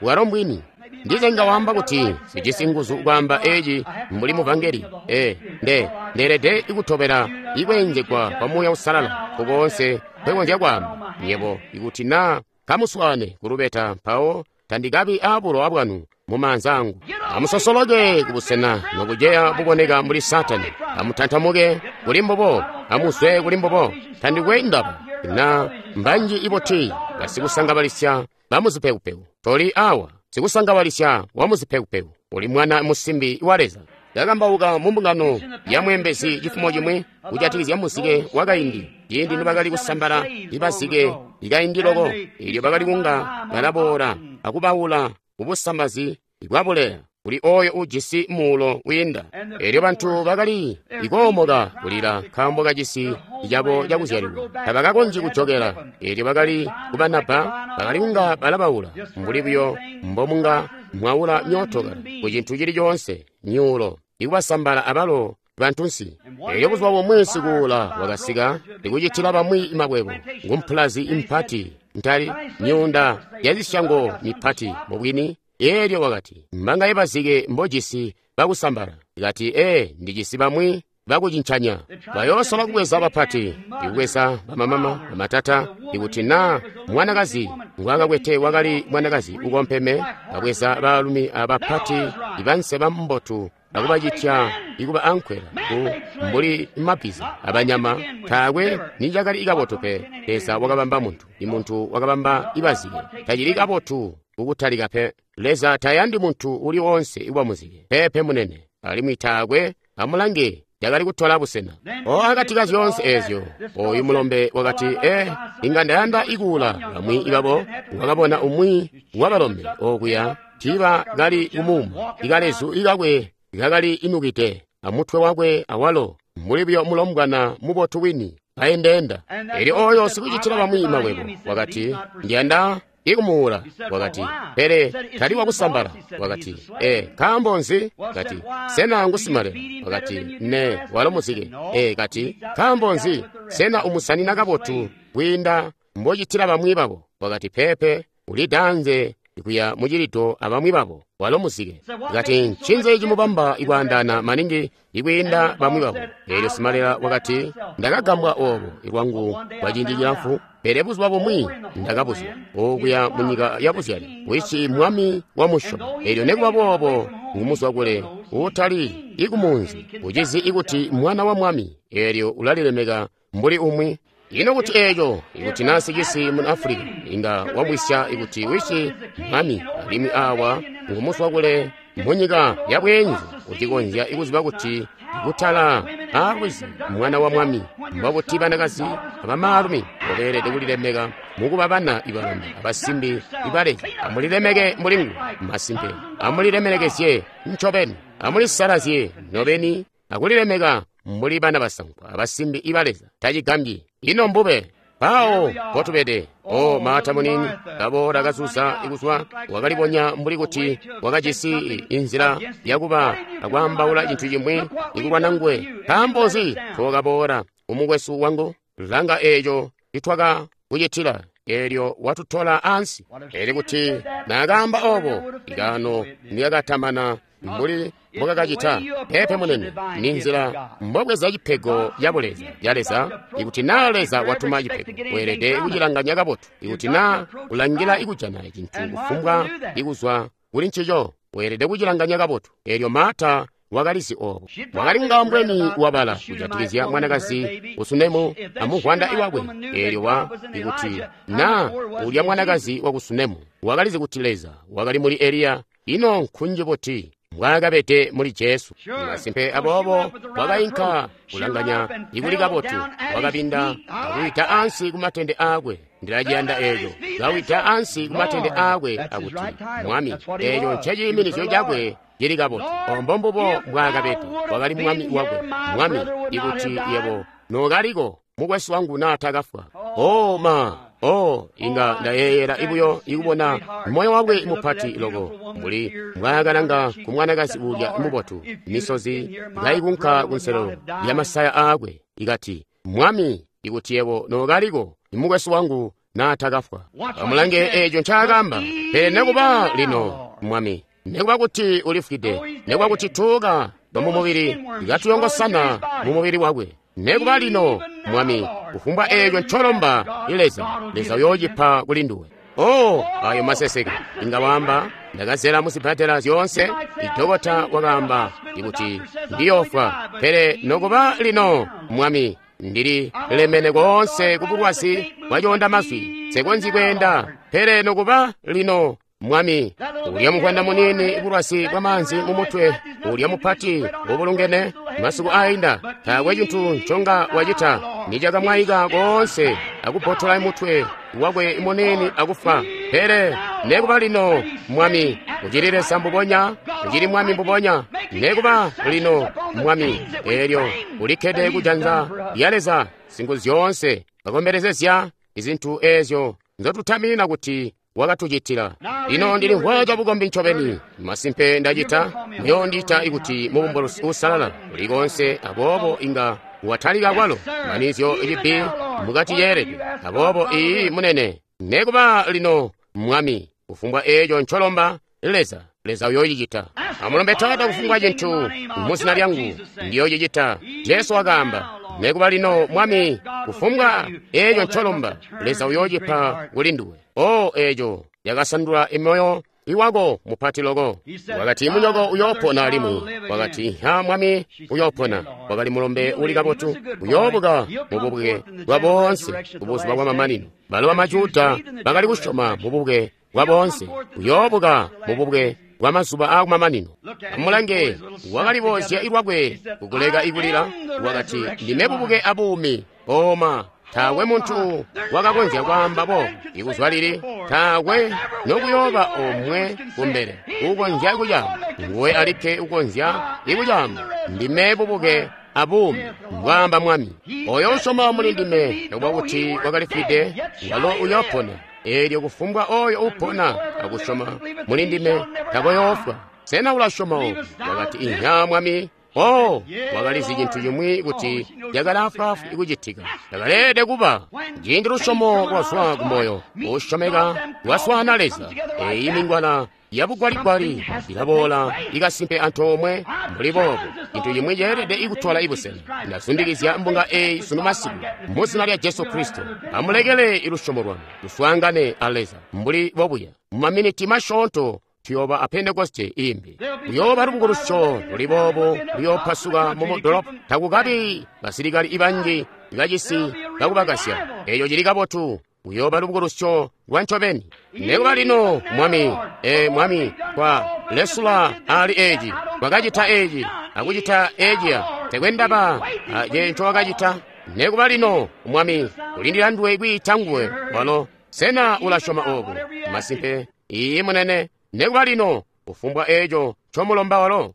Walo mbwini. Ndize nga wamba kuti sijisi nguzu kwaamba eci mbuli muvangeli. E, nde ndeelede ikutobela ikweenzegwa kwa Muuya Uusalala kukoonse nkwekonzya kwaamba. Yebo ikuti naa kamuswaane kulubeta, mpawo tandikabi aabulowa bwanu mumaanza angu. Amusosoloke kubusena nokuceya buboneka mbuli Saatani. Amutantamuke kuli mbubo, amuzwe kuli mbubo. Tandikwe ndaba na mbanji iboti basikusangabalisya bamuzipekupeku. Toli awa sikusangabalisya wamuzipekupeku, uli mwana musimbi wa Leza. Ndakambauka mu mbungano ya mwembezi cifumo cimwi kujatikizya muzike wakaindi, ciindi nibakali kusambala ibazike ikaindi loko, ilyo bakali kunga balaboola akubaula kubusambazi bwabuleya kuli oyo ujisi muulo wiinda. Elyo bantu bakali ikoomoka kulila nkaambo kacisi cabo cakuzyalilwa, tabakakonzyi kujokela. Elyo bakali kubanabba, bakali kunga balabaula mbuli buyo mbomunga mwaula myootokala ku cintu cili coonse, myuulo ikubasambala abalo bantunsi. Elyo buzuba bumwi sikuula wakasika ikucitila bamwi makwebo ngumpulazi impati ntali myuunda yazisyango mipati mubwini. Elyo wakati, mbangaye bazike mbojisi bakusambala? Kati, ee, ndijisi bamwi bakucincanya. Bayoosola kubweza bapati, ikubweza bamamama, bamatata. Ikuti naa mwanakazi ngwakakwete wakali mwanakazi ukompeme, babweza baalumi abapati ibanseba mbotu akubacitya ikuba ankwela ku mbuli mabbiza abanyama. Taakwe nicakali kabotu pe. Leza wakabamba muntu, imuntu wakabamba ibazike. Tacili kabotu kukutalika pe. Leza tayandi muntu uli wonse ikuba muzike pepe munene, alimwi taakwe amulange yakali kutola busena. O akati ka zyoonse eezyo, oyu mulombe wakati, ee, inga ndayanda ikuula bamwi ibabo. Wakabona umwi wabalombe okuya tiiba kali kumuuma, ikalezu ikakwe kakali inukide amutwe wakwe awalo mbuli buyo mulombwana mubotu wini kaendeenda. Elyo oyo sikucitila bamwi makwebo wakati, ndiyanda ikumuula. Wakati, pele tali wakusambala. Wakati, e, nkaambo nzi? Kati, sena ngusimalela? Wakati, ne, walo muzike. E, kati, nkaambo nzi? Sena umusanina kabotu kwiinda mbocitila bamwi babo? Wakati, pepe, ulidanze kuya mucilito abamwi babo, walo muzike. Kati, ncinzi cimubamba ikwaandana maningi ikwiinda bamwi babo? Elyo simalela wakati, ndakagambwa oobo ilwangu kwa ciindi cilamfu, pele buzuba bumwi ndakabuzwa okuya munyika ya buzyali, wici mwami wa musyobo. Elyo nekuba boobo ngumuzwa kule utali ikumunzi, ucizi ikuti mwana wa mwami, elyo ulalilemeka mbuli umwi. Ino kuti eeco, ikuti nasi cisi mu Afrika, inga wamwisya ikuti wici mwami, alimwi awa ngumuzwa kule munyika ya bweenzu, ucikonzya ikuziba kuti kutala aalwizi mwana wa mwami. Mbabuti banakazi abamaalumi mbobeelede kulilemeka mukuba bana ibalombe abasimbi ibaleza. Amulilemeke mbuli nguwe masimpe, amulilemekezye ncobeni, amulisalazye nobeni akulilemeka mbuli bana basankwa abasimbi ibaleza. Tacigambyi ino mbube mpawo potubede. O Maata munini kaboola kazuza ikuzwa, wakalibonya mbuli kuti wakajisi inzila yakuba akwaambaula cintu cimwi ikulwana nguwe. Nkaambo nzi tookaboola umukwesu wangu? Langa eeco citwakakucitila, eelyo watutola ansi. Eli kuti naakaamba oobo, ikaano niyakatamana mbuli mbokakacita. Pepe munene, ni nzila mbobweza cipego ya buleza ya Leza. Ikuti naa Leza watuma cipego, weelede kucilanganya kabotu. Ikuti naa ulangila ikujana cintu kufumbwa ikuzwa kuli ncico, weelede kucilanganya kabotu. Eelyo Maata wakalizi oobo. Wakali kunga mbweni wabala kujatikizya mwanakazi kusunemu amuvwanda iwakwe. Eelyo wa ikuti naa ulya mwanakazi wa kusunemu wakalizi kuti Leza wakali muli Eliya, ino nkunji buti mbwaakabede muli Jesu. Masimpe aboobo wakainka kulanganya ikuli kabotu, wakabinda akuwida ansi kumatende aakwe. Ndilaciyanda eeco. Kawida ansi kumatende aakwe akuti, Mwami, eeco nceciiminizyo cakwe cili kabotu. Ombo mbubo mbwaakabede. Wakali mwami wakwe. Mwami, ikuti yebo nookaliko, mukwesu wangu naatakafwa. Oh ma, oh, inga ndayeeyela ibuyo ikubona moyo wakwe mupati loko mbuli mbwaakalanga ku mwanakazi uulya mubotu, misozi kaikunka kunselelo lya masaya aakwe, ikati, Mwami, ikuti yebo nookaliko, mukwesu wangu naatakafwa. Amulange eeco ncaakaamba. Pele nekuba lino, Mwami, nekuba kuti ulifwide, nekuba kuti tuuka twamumubili katuyongosana mumubili wakwe, nekuba lino, Mwami, kufumbwa eeco ncolomba Leza, Leza uyoocipa kuli nduwe. Oh, ayo maseseke. Inga waamba, ndakazela muzibbadela zyoonse. Idokota wakaamba ikuti ndiyofwa. Pele nokuba lino, Mwami, ndili lemene koonse kubulwazi bwacoonda mazwi, nsekonzyi kweenda. Pele nokuba lino, Mwami, ulya muvwanda munini bulwazi bwamaanzi mumutwe, ulya mupati ubulungene masiku ainda, taakwe cintu nconga wacita, nicakamwayika koonse akubbotola mutwe wakwe munini akufa. Pele nekuba lino, Mwami, ucili Leza mbubonya, ucili Mwami mbubonya, nekuba lino, Mwami, eelyo ulikkede kujanza lya Leza singu zyoonse, kakombelezezya izintu eezyo nzotutaminina kuti wakatucitila. Lino ndilimvwa cabukombi ncobeni, masimpe ndacita, muyoondiita ikuti mubumbulusi uusalala uli koonse, aboobo inga watalika kwalo manizyo cibbi mukati ceelede. Aboobo iyi munene, nekuba lino, Mwami, kufumbwa eeco ncolomba Leza, Leza uyoocicita. Amulombe Taata kufumbwa cintu muzina lyangu, ndiyoocicita. Jesu wakaamba, nekuba lino, Mwami, kufumbwa eeco ncolomba, Leza uyoocipa kuli nduwe. Oh, eeco yakasandula emoyo iwako mupati loko. Wakati munyoko uyoopona alimwi. Wakati ha, Mwami, uyoopona. Wakali mulombe uli kabotu, uyoobuka mububuke bwa boonse kubuzuba bwa mamanino. Balo bamajuda bakali kusyoma mububuke bwa boonse, uyoobuka mububuke bwa mazuba aakumamanino. Amulange, wakaliboozya ilwakwe kukuleka ikulila. Wakati, ndime bubuke abuumi. Oma, taakwe muntu wakakonzya kwaamba boobo ikuzwa lili, taakwe nokuyooba omwe kumbele ukonzya kucaamba. Nguwe alikke ukonzya ikucaamba. Ndime bubuke abuumi, mbwaamba Mwami. Oyo usyoma muli ndime, nokuba kuti wakalifwide, walo uyoopona. Eelyo kufumbwa oyo upona akusyoma muli ndime takoyoofwa. Sena ulasyoma obu? Wakati, inha, Mwami. Oh, wakalizi cintu cimwi kuti cakali afwaafwi kucitika. Cakaleelede kuba ciindi lusyomo lwazwa kumoyo usyomeka lwaswaana Leza. Eeyi mingwala yabugwaligwali ilaboola ikasimpe antoomwe mbuli boobo. Cintu cimwi ceelede ikutola ibusena. Ndazundikizya mbunga eeyi sunu masiku muzina lya Jesu Kristo. Amulekele ilusyomo lwanu luswaangane a Leza mbuli bobuya. Mumaminiti masyoonto tuyooba a Pentekoste imbi. Kuyooba lubukulusyo luli boobo luyoopasuka mu mudolopo. Takukabi basilikali ibanji bacisi bakubakasya. Eeco cili kabotu. Kuyooba lubukulusyo lwa ncobeni. Nekuba lino, Mwami, ee Mwami, twa lesula ali eeci, twakacita eeci, akucita eeciya, tekwe ndaba ace ncowakacita. Nekuba lino, Mwami, ulindila nduwe kwiita nguwe walo. Sena ulasyoma obo? Masimpe, iiyi munene. Nekuba lino, kufumbwa eeco ncomulomba walo.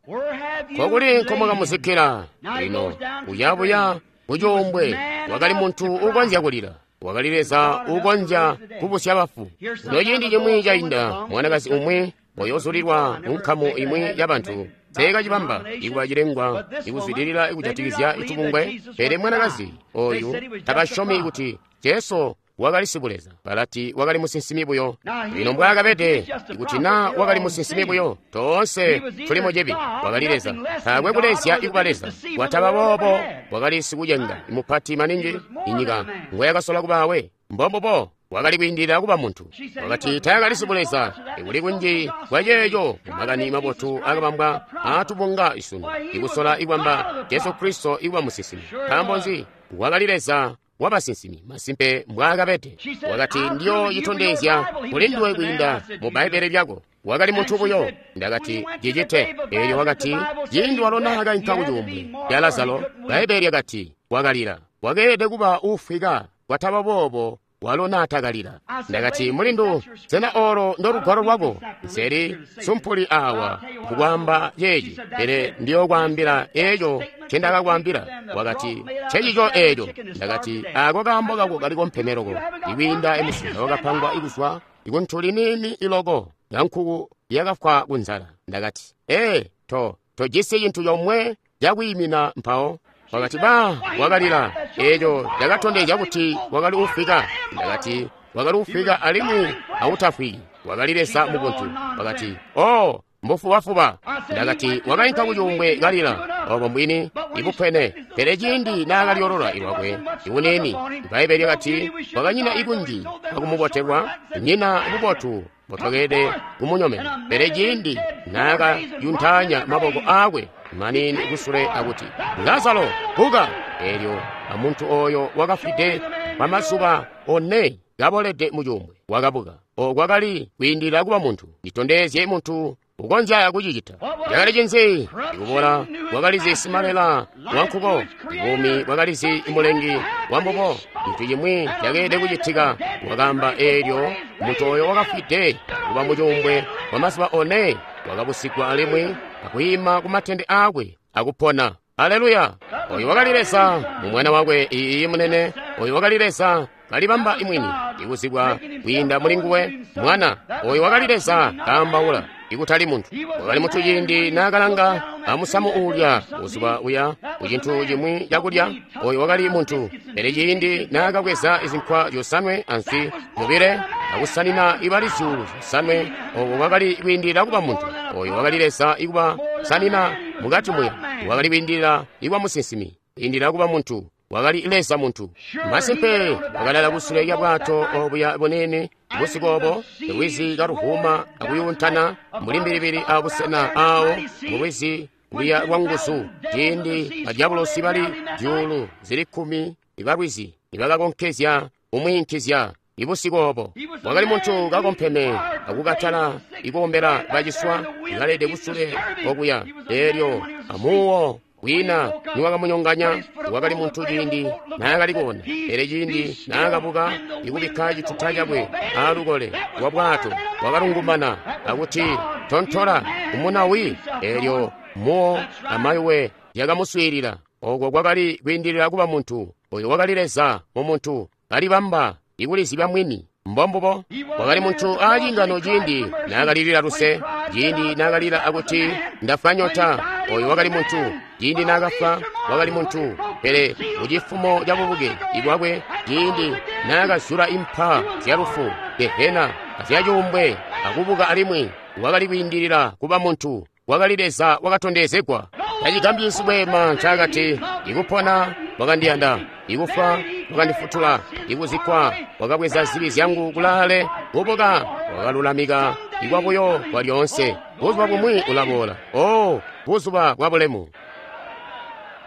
Kokuli nkomukamuzikkila. Lino, uyabuya kucuumbwe, wakali muntu ukonzya kulila. Wakali Leza ukonzya kubusya bafu. Kuno ciindi cimwi cainda, mwanakazi umwi oyozulilwa munkamu imwi yabantu teekacibamba ikuba cilengwa ikuzwidilila ikujatikizya itubungwe. Pele mwanakazi oyu tabasyomi kuti Jesu wakali sibuleza, balati wakali musinsimi buyo. Lino mbwaakabede, ikuti naa wakali musinsimi buyo, toonse tuli mucibi. Wakali Leza, taakwe kulezya ikuba Leza. Wataba boobo, wakali sikucenga mupati maningi inyika ngoyakasola kubaawe. Mbombubo wakali kwiindilila kuba muntu. Wakati taakali sibuleza. Ikuli kunji kwaceeco mumakani mabotu akabambwa aatubunga isunu, ikusola ikwamba Jesu Kristo ikuba musinsimi. Nkaambo nzi? Wakali Leza wabasinsimi, masimpe mbwaakabede. Wakati ndiyo citondezya kuli nduwe kwiinda mu Bbaibbele lyako. Wakali muntu buyo. Ndakati cicite. Eelyo wakati ciindi walo naakainka kucuumbwe ya Lazaro, Bbaibbele lyakati wakalila. Wakeelede kuba uufwika, kwataba boobo Walo naatakalila. Ndakati, mulindu, sena olo ndolugwalo lwako? Nseli sumpuli awa kukwaamba ceeci, pele ndiyokwaambila eeco ncendakakwaambila. Wakati, ncecico eeco. Ndakati, ako kaambo kako kaliko mpeme loko ikwiinda emusinza wakapangwa ikuzwa ikuntuli niini iloko ya nkuku yakafwa kunzala. Ndakati, ee, to tojisi cintu comwe cakwiimina mpawo. Wakati, ba, wakalila. Eeco cakatondezya kuti wakali ufwika. Ndakati, wakali ufwika alimwi awutafwiki. Wakali Leza mubuntu. Wakati, oh, mbufubafuba. Ndakati, wakainka kucuumbwe kalila. Obo mbwini ibupwene. Pele ciindi naakalyolola ilwakwe ibunini, Bbaibbele lyakati wakanyina ikunji akumubotelwa, nyina bubotu butokede kumunyomena. Pele ciindi naakayuntaanya maboko aakwe manini kusule akuti, Lazaro, buka! Eelyo amuntu oyo wakafwide kwamazuba one kabolede mucuumbwe wakabuka. Oko kwakali kwiindilila kuba muntu. Nditondezye muntu ukonzya kucicita. Cakali cinzi? Ikubola kwakalizi simalela wankuko, buumi bwakalizi mulengi wambubo. Cintu cimwi cakeelede kucitika. Wakaamba eelyo muntu oyo wakafwide kuba mucuumbwe kwamazuba one wakabusigwa alimwi akwiima kumatende aakwe akupona. Aleluya! Oyo wakali Leza mu mwana wakwe iiyi munene. Oyo wakali Leza kalibamba imwini ikuzibwa kwiinda muli nguwe mwana. Oyo wakali Leza kaambaula, ikutali muntu. Wakali muntu ciindi naakalanga amusamu uulya buzuba uya kucintu cimwi cakulya. Oyo wakali muntu. Pele ciindi naakabweza izinkwa zyosanwe answi zyobile akusanina ibali zyuulu zyosanwe, oko kwakali kwiindilila kuba muntu. Oyo wakali Leza ikuba sanina mukati muya. Wakali kwiindilila ikuba musinsimi, kwiindilila kuba muntu. Wakali Leza muntu. Masimpe wakalala kusule lya bwato obuya bunene busiku obo, lwizi kaluhuma akuyuntana mbuli mbilibili abusena awo mulwizi luya lwa nguzu, ciindi badyabulosi bali zyuulu zili kkumi ibalwizi nibakakonkezya kumwiinkizya ibusiku obo. Wakali muntu kakompeme akukatala ikuombela baciswa ikalede kusule okuya. Eelyo amuwo kwiina niwakamunyonganya. Wakali muntu ciindi naakali kuona, pele ciindi naakabuka ikubikka cituta cakwe aalukole lwa bwato, wakalungumana akuti, tontola umunawi. Eelyo muwo amayuwe yakamuswiilila. Oko kwakali kwiindilila kuba muntu. Oyo wakali Leza mu muntu kalibamba ikulizibya mwini. Mbombubo. Wakali muntu aacingano ciindi naakalilila luse, ciindi naakalila akuti ndafwa nyota. Oyo wakali muntu. Ciindi naakafwa wakali muntu. Pele mucifumo cabubuke ibwakwe, ciindi naakazula impa zyalufu, gehena azyacuumbwe akubuka alimwi, wakali kwiindilila kuba muntu. Wakali Leza wakatondezegwa. Tacigambyi sibweema ncaakati, ikupona wakandiyanda, ikufwa wakandifutula, ikuzikkwa wakabweza zibi zyangu kulaale, kubuka wakalulamika ikwabuyo kwa lyoonse. Buzuba bumwi ulaboola. Oh, buzuba bwa bulemu.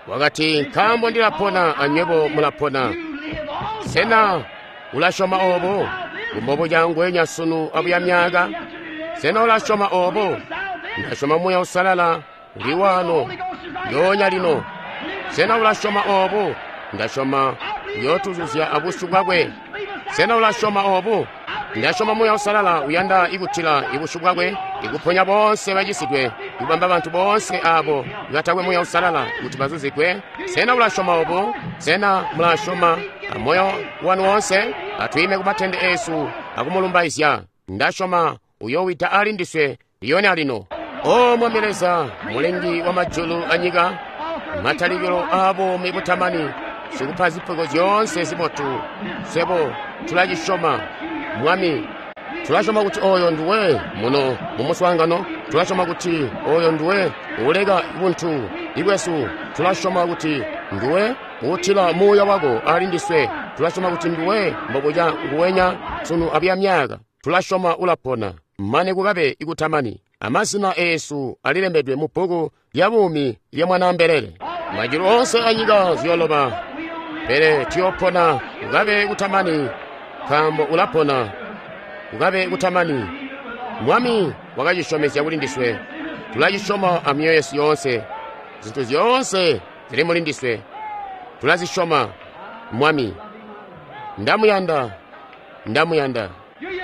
Wakati, nkaambo ndilapona anywebo mulapona. Sena ulasyoma obo? Kumbobo cangwenya sunu abuya myaka. Sena ulasyoma obo? Ndasyoma Muuya Uusalala uli wano lyoonya lino. Sena ulasyoma obo? Ndasyoma uyootuzuzya abusyu bwakwe. Sena ulasyoma obo? Ndasyoma Muuya Uusalala uyanda ikutila ibusyu bwakwe, ikuponya boonse bacisidwe, ikubamba bantu boonse abo ibatakwe Muuya Uusalala kuti bazuzigwe. Sena ulasyoma obo? Sena mulasyoma amoyo wanu woonse? Atwiime kumatende eesu akumulumbaizya. Ndasyoma uyoowida ali ndiswe lyonya lino. O Mwami Leza, mulengi wa majulu anyika, matalikilo aabuumi butamani, sikupa zipego zyoonse zibotu, swebo tulacisyoma Mwami. Tulasyoma kuti oyo nduwe muno mumuswaangano. Tulasyoma kuti oyo nduwe uuleka buntu ibwesu. Tulasyoma kuti nduwe uutila Muuya wako ali ndiswe. Tulasyoma kuti nduwe mbobuca nguwenya sunu abuya myaka. Tulasyoma ulapona mane kukabe ikutamani. Amazina eesu alilembedwe mu bbuku lya buumi lya Mwanaambelele. Majulu oonse anyika ziyoloba, pele tuyopona kukabe kutamani, nkaambo ulapona kukabe kutamani. Mwami wakacisyomezya kuli ndiswe. Tulacisyoma amyoyo yesu yoonse. Zintu zyoonse zili muli ndiswe tulazisyoma. Mwami, ndamuyanda. Nda muyanda.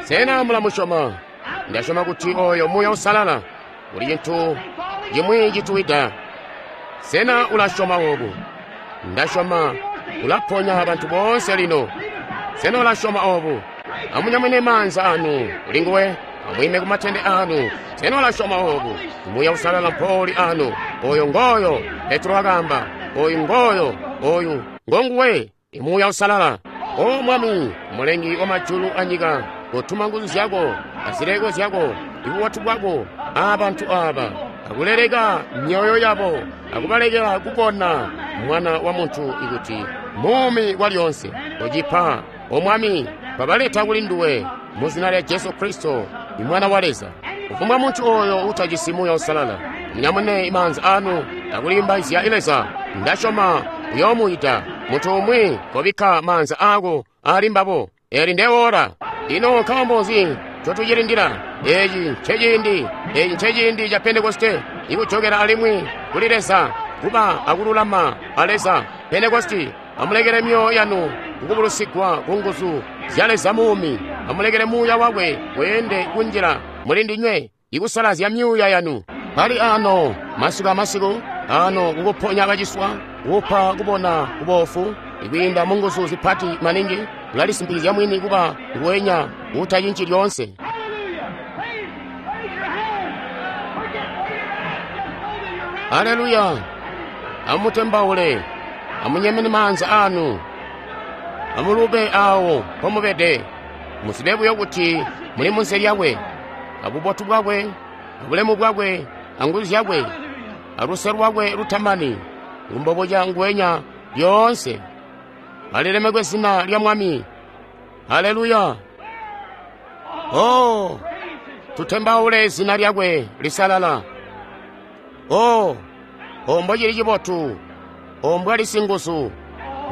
Sena mula musyoma? Ndasyoma kuti oyo Muuya Uusalala uli cintu cimwi cituwida. Sena ulasyoma obu? Ndasyoma ulaponya bantu boonse lino. Sena ulasyoma obu? Amunyamune maanza anu kuli nguwe, amwiime ku matende anu. Sena ulasyoma obu? Muuya Uusalala mpouli anu. Oyo ngoyo Petro wakaamba. Oyu ngoyo, oyu ngonguwe, Muuya Uusalala. O Mwami, Mulengi wa majulu anyika, kotuma nguzu zyako, azileko zyako, ibubotu bwako, abantu aba, akuleleka myoyo yabo, akubalekela kubona Mwana wa muntu ikuti muumi kwalyonse. Kocipa, O Mwami, babaleta kuli nduwe, mu zina lya Jesu Kristo, Mwana wa Leza. Kufumbwa muntu oyo utajisi Muuya Uusalala, munyamune maanza anu akulimbaizya Leza. Ndasyoma uyoomuyita muntu umwi kobikka maanza ako ali mbabo. Eli ndeora. Ino nkaambo nzi ncotucilindila? Eci nceciindi, eci nceciindi ca Pentekoste, ikujokela alimwi kuli Leza, kuba akululama a Leza. Pentekoste, amulekele myoyo yanu kukubulusigwa ku nguzu zya Leza muumi. Amulekele Muuya wakwe weende kunjila muli ndinywe, ikusalazya myuuya yanu. Pali ano masiku amasiku ano kukuponya baciswa, kupa kubona kubofu, ikwiinda mu nguzu zipati maningi, ulalisimpikizya mwini kuba nguwenya utacinci lyoonse. Haleluya! Amutembaule, amunyemene maanza anu, amulube awo mpomubede. Muzibe buyo kuti muli munsi lyakwe, abubotu bwakwe, abulemu bwakwe, anguzu zyakwe, aluse lwakwe lutamani, ngumbobuca nguwenya lyoonse. Alilemekwe zina lya Mwami. Haleluya! Oh, tutembaule zina lyakwe lisalala. Oh, ombo cili cibotu, ombwa lisinguzu,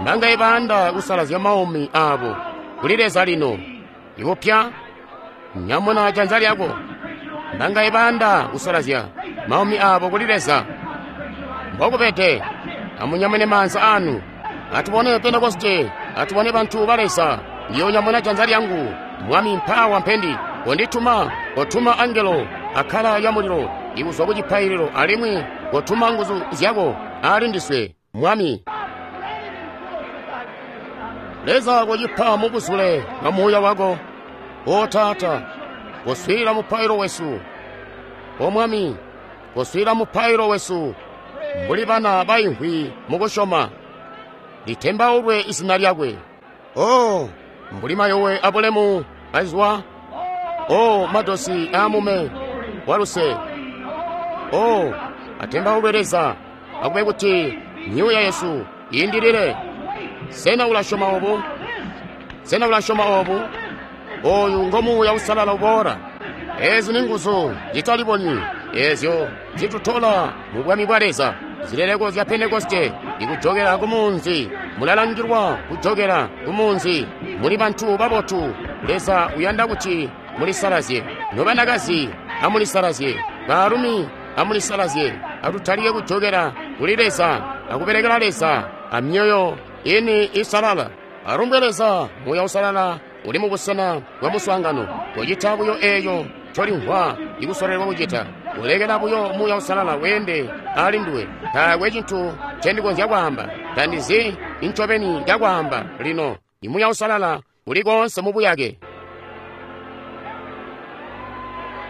mbanga ibanda kusalazya maumi abo kuli Leza lino. Ikupya, nyamuna janza lyako. Mbanga ibanda kusalazya maumi abo kuli Leza. Mbokubede, amunyamune maanza anu. Atubone Pentekoste, atubone bantu ba Leza. Ndiyonyamuna janza lyangu. Mwami mpawa mpendi, kondituma, kotuma angelo akala ya mulilo ikuzwa ku cipaililo, alimwi kotuma nguzu zyako ali ndiswe, Mwami. Leza kocipa mubuzule bwa Muuya wako. O Taata, koswiila mupailo wesu. O Mwami, koswiila mupailo wesu mbuli bana baimvwi mukusyoma. Litembaulwe izina lyakwe. Oh, mbuli mayowe abulemu azwa. Oh, madosi amume waluse. Oh, atembaulwe Leza. Akube kuti myuuya yesu iindilile. Sena ulasyoma obu? Sena ulasyoma obu? Oyu ngo Muuya Uusalala uboola. Ezi ni nguzu zitalibonyi ezyo zitutola mu bwami bwa Leza. Zileleko zya Pentekoste ikujokela ku munzi. Mulalangilwa kujokela ku munzi. Muli bantu babotu. Leza uyanda kuti mulisalazye. Nobanakazi amulisalazye, baalumi amulisalazye. Atutalike kujokela kuli Leza akubelekela Leza amyoyo ini isalala. Alumbwe Leza. Muuya Uusalala uli mubusena bwa muswaangano. Kocita buyo eeyo ncolimvwa ikusolelwa kucita. Ulekela buyo Muuya Uusalala weende ali nduwe. Taakwe cintu ncendikonzya kwaamba. Tandizi incobeni cakwaamba lino. Muuya Uusalala uli koonse mu buyake.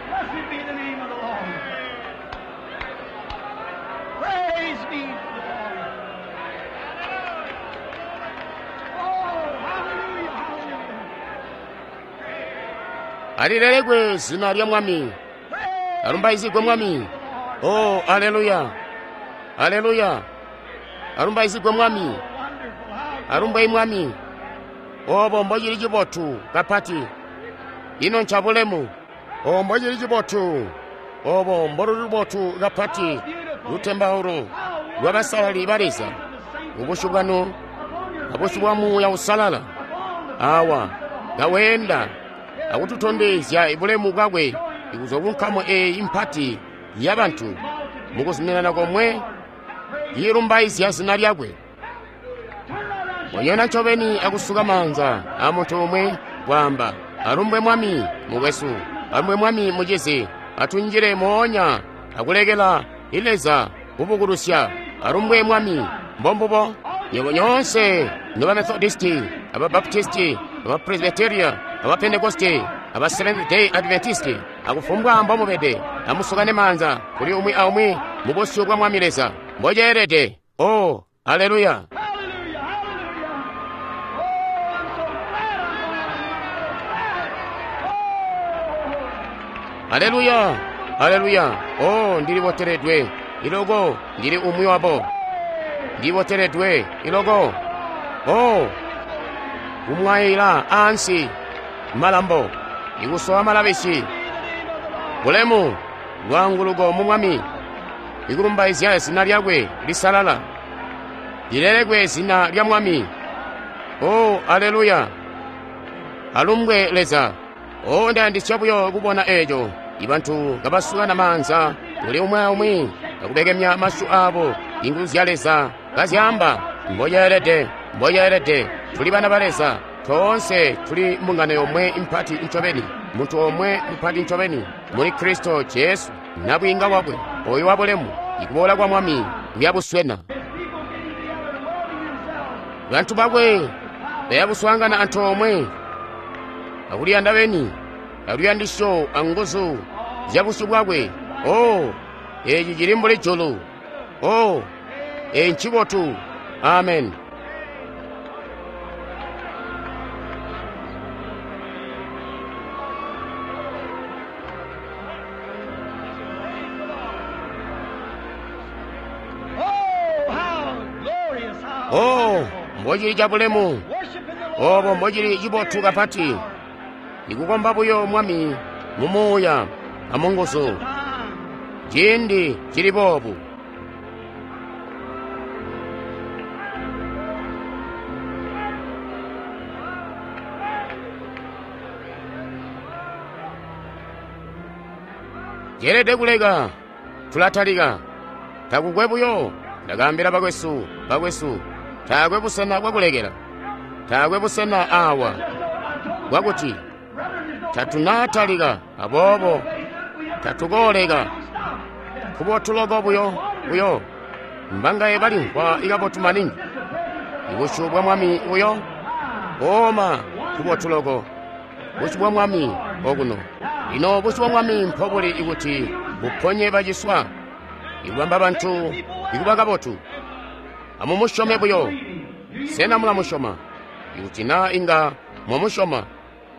Blessed be the name of the Lord. Praise be to the Lord. Oh, hallelujah, hallelujah. Alilelekwe zina lya Mwami. Alumbaizigwe Mwami. Oh, aleluya, aleluya. Alumbaizigwe Mwami. Wonderful, how Alumbwe Mwami. Obo mbocili cibotu kapati. Ino ncabulemu. Obo mbocili cibotu. Obo mboluli lubotu kapati. Lutembaulo lwabasalali ba Leza. Ubusyu bwanu, abusyu bwa Muuya Uusalala. Awa kaweenda akututondezya bulemu bwakwe ikuzwa ku nkamu eeyi mpati yabantu mukuzuminana komwe yilumbaizya zina lyakwe. Wanyona ncobeni akusuka maanza a muntu umwe Kwaamba, alumbwe Mwami, mukwesu, alumbwe Mwami, mucizi, atunjile moonya akulekela Leza kubukulusya. Alumbwe Mwami, mbombubo. Nywebo nyoonse noba Methodisti, aba Baptisti, aba Presbyteria, aba Pentekoste, aba Seventh Day Adventisti, akufumbwa mbomubede, amusukane maanza kuli umwi aumwi mu busyu bwa Mwami Leza. Mboceelede. Oh, aleluya. Hallelujah, hallelujah. Oh, I'm so glad I'm glad. Oh. Aleluya, aleluya. Oh, ndiliboteledwe iloko, ndili umwi wabo. Ndiboteledwe iloko. Oh, kumwayila ansi malambo, ikusowa malabishi. Bulemu, lwaanguluko mu Mwami, ikulumbaizya zina lyakwe lisalala. Lilelekwe zina lya Mwami. Oh, aleluya. Alumbwe Leza. Oh, ndayandisya buyo kubona eco. Ibantu kabasukana maanza kuli umwi aumwi, kakubekemya masyu abo, inguzu zya Leza kazyamba, mboceelede, mboceelede, tuli bana ba Leza. Toonse tuli mbungano yomwe impati ncobeni, muntu omwe mupati ncobeni, muli Kristo Jesu, nabwiinga wakwe, oyo wabulemu, ikuboola kwa Mwami kuyabuswena. Bantu bakwe bayabuswaangana antoomwe, akuliyanda beni, aluyandisyo anguzu zya busyu bwakwe. Oh, eci cili mbuli julu. Oh, eci ncibotu. Amen. Oh, how glorious, how Oh, wonderful. mbocili cabulemu. Worshiping the Lord Obo mbocili cibotu kapati. Ikukomba buyo Mwami mu muuya amunguzu. time. Ciindi cili boobu. Ceelede kuleka. Tulatalika. Takukwe buyo. Ndakaambila bakwesu, bakwesu, taakwe busena bwakulekela. Taakwe busena awa bwakuti tatunatalika, aboobo tatukooleka. Kubotu loko buyo buyo mbangaye balimvwa ikabotu maningi. Ibusyu bwa Mwami buyo oma kubotu loko. Busyu bwa Mwami okuno. Lino busyu bwa Mwami mpobuli ikuti buponye baciswa, ikubamba bantu ikuba kabotu. Amumusyome buyo. Sena mulamusyoma? Ikuti naa inga mwamusyoma,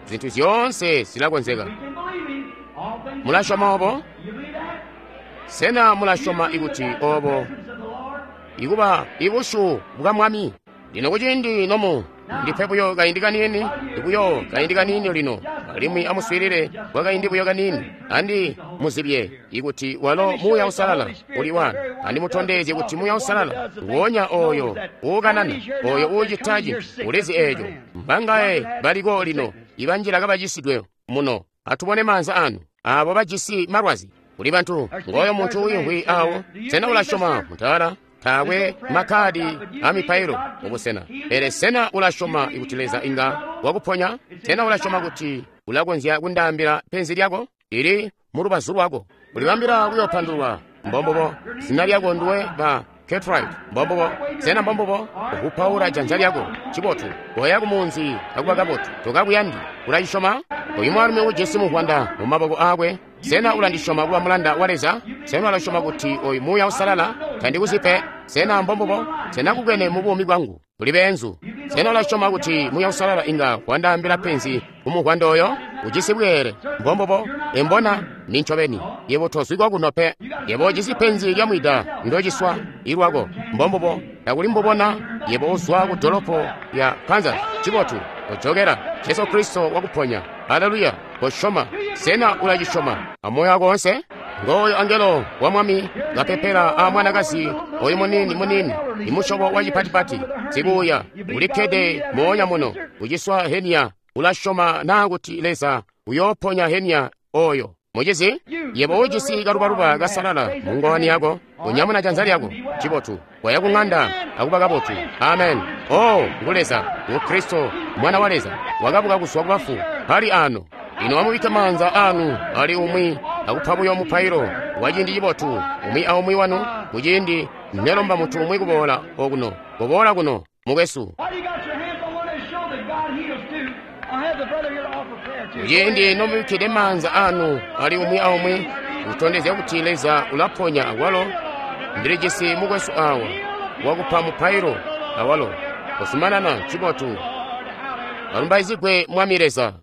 zintu zyoonse zilakonzeka. We can believe him. All things Mulasyoma obo? You believe that? Sena mulasyoma ikuti obo Presence of the Lord. ikuba ibusyu bwa Mwami? Lino kuciindi nomu ndipe buyo kaindi kaniini, buyo kaindi kaniini lino, alimwi amuswiilile kwa kaindi buyo kaniini, andi muzibye ikuti walo Muuya Uusalala uli wano, andi mutondezye kuti Muuya Uusalala nguwonya oyo uukanana, oyo uucita cintu, ulizi eco. Mbangaye baliko lino ibanjila kabacisidwe muno. Atubone maanza anu, abo bajisi malwazi. Kuli bantu, ngoyo muntu uyimvwi awo, sena ulasyoma mutala? Taakwe makkadi a mipailo mubusena. Pele sena ulasyoma kuti Leza inga wakuponya? Sena ulasyoma kuti ulakonzya kundaambila penzi lyako? Lili mu lubazu lwako. Ulibambila kuyopandulwa. Mbombubo. Zina lyako nduwe ba Cartwright. Mbombubo. Sena mbombubo? Ukupaula janza lyako. Cibotu. Koya kumunzi akuba kabotu. Tokakuyandi. Ulacisyoma? Oyu mwaalumi ujisi muvwanda mu maboko aakwe. Sena ulandisyoma kuba mulanda wa Leza? Sena ulasyoma kuti oyu Muuya Uusalala tandikuzi pe? Sena mbombubo? Sena kukwene mu buumi bwangu tuli beenzu? Sena ulasyoma kuti Muuya Uusalala inga wandaambila penzi ku muvwanda oyo? Ujisi bweele. Mbombubo? Embona ni ncobeni. Yebo tozwikwa kuno pe. Yebo ujisi penzi lya mwida ndociswa ilwako. Mbombubo? Takuli mbubona yebo uzwa ku dolopo ya Kansas. Cibotu. Ojokera. Jesu Kristo wakuponya. Haleluya. Kosyoma. Sena ulacisyoma amoyo wako wonse? Ngoyo angelo wa Mwami kapepela a mwanakazi oyu munini munini imusyobo wa cipatipati sikuya ulikkede moonya muno uciswa henia. Ulasyoma naa kuti Leza uyooponya henia oyo? Mucizi, yebo ujisi kalubaluba kasalala mu ngowani yako, unyamuna janza lyako. Cibotu. Waya ku ng'anda akuba kabotu. Amen. Oh, ngu Leza, ngu Kristo, Mwana wa Leza, wakabuka kuzwa ku bafu, ali ano. Ino amubikke maanza anu ali umwi akupa buyo mupailo wa ciindi cibotu, umwi aumwi wanu, muciindi nelomba muntu umwi kuboola okuno. Kuboola kuno, mukwesu. While you got your hands on one of show that God heals too. I'll have the brother here to offer prayer too. Muciindi nomubikkide maanza anu ali umwi aumwi kutondezya kuti Leza ulaponya awalo, ndilijisi mukwesu awa wakupa mupailo awalo. Kuzumanana, ncibotu. Alumbaizigwe Mwami Leza.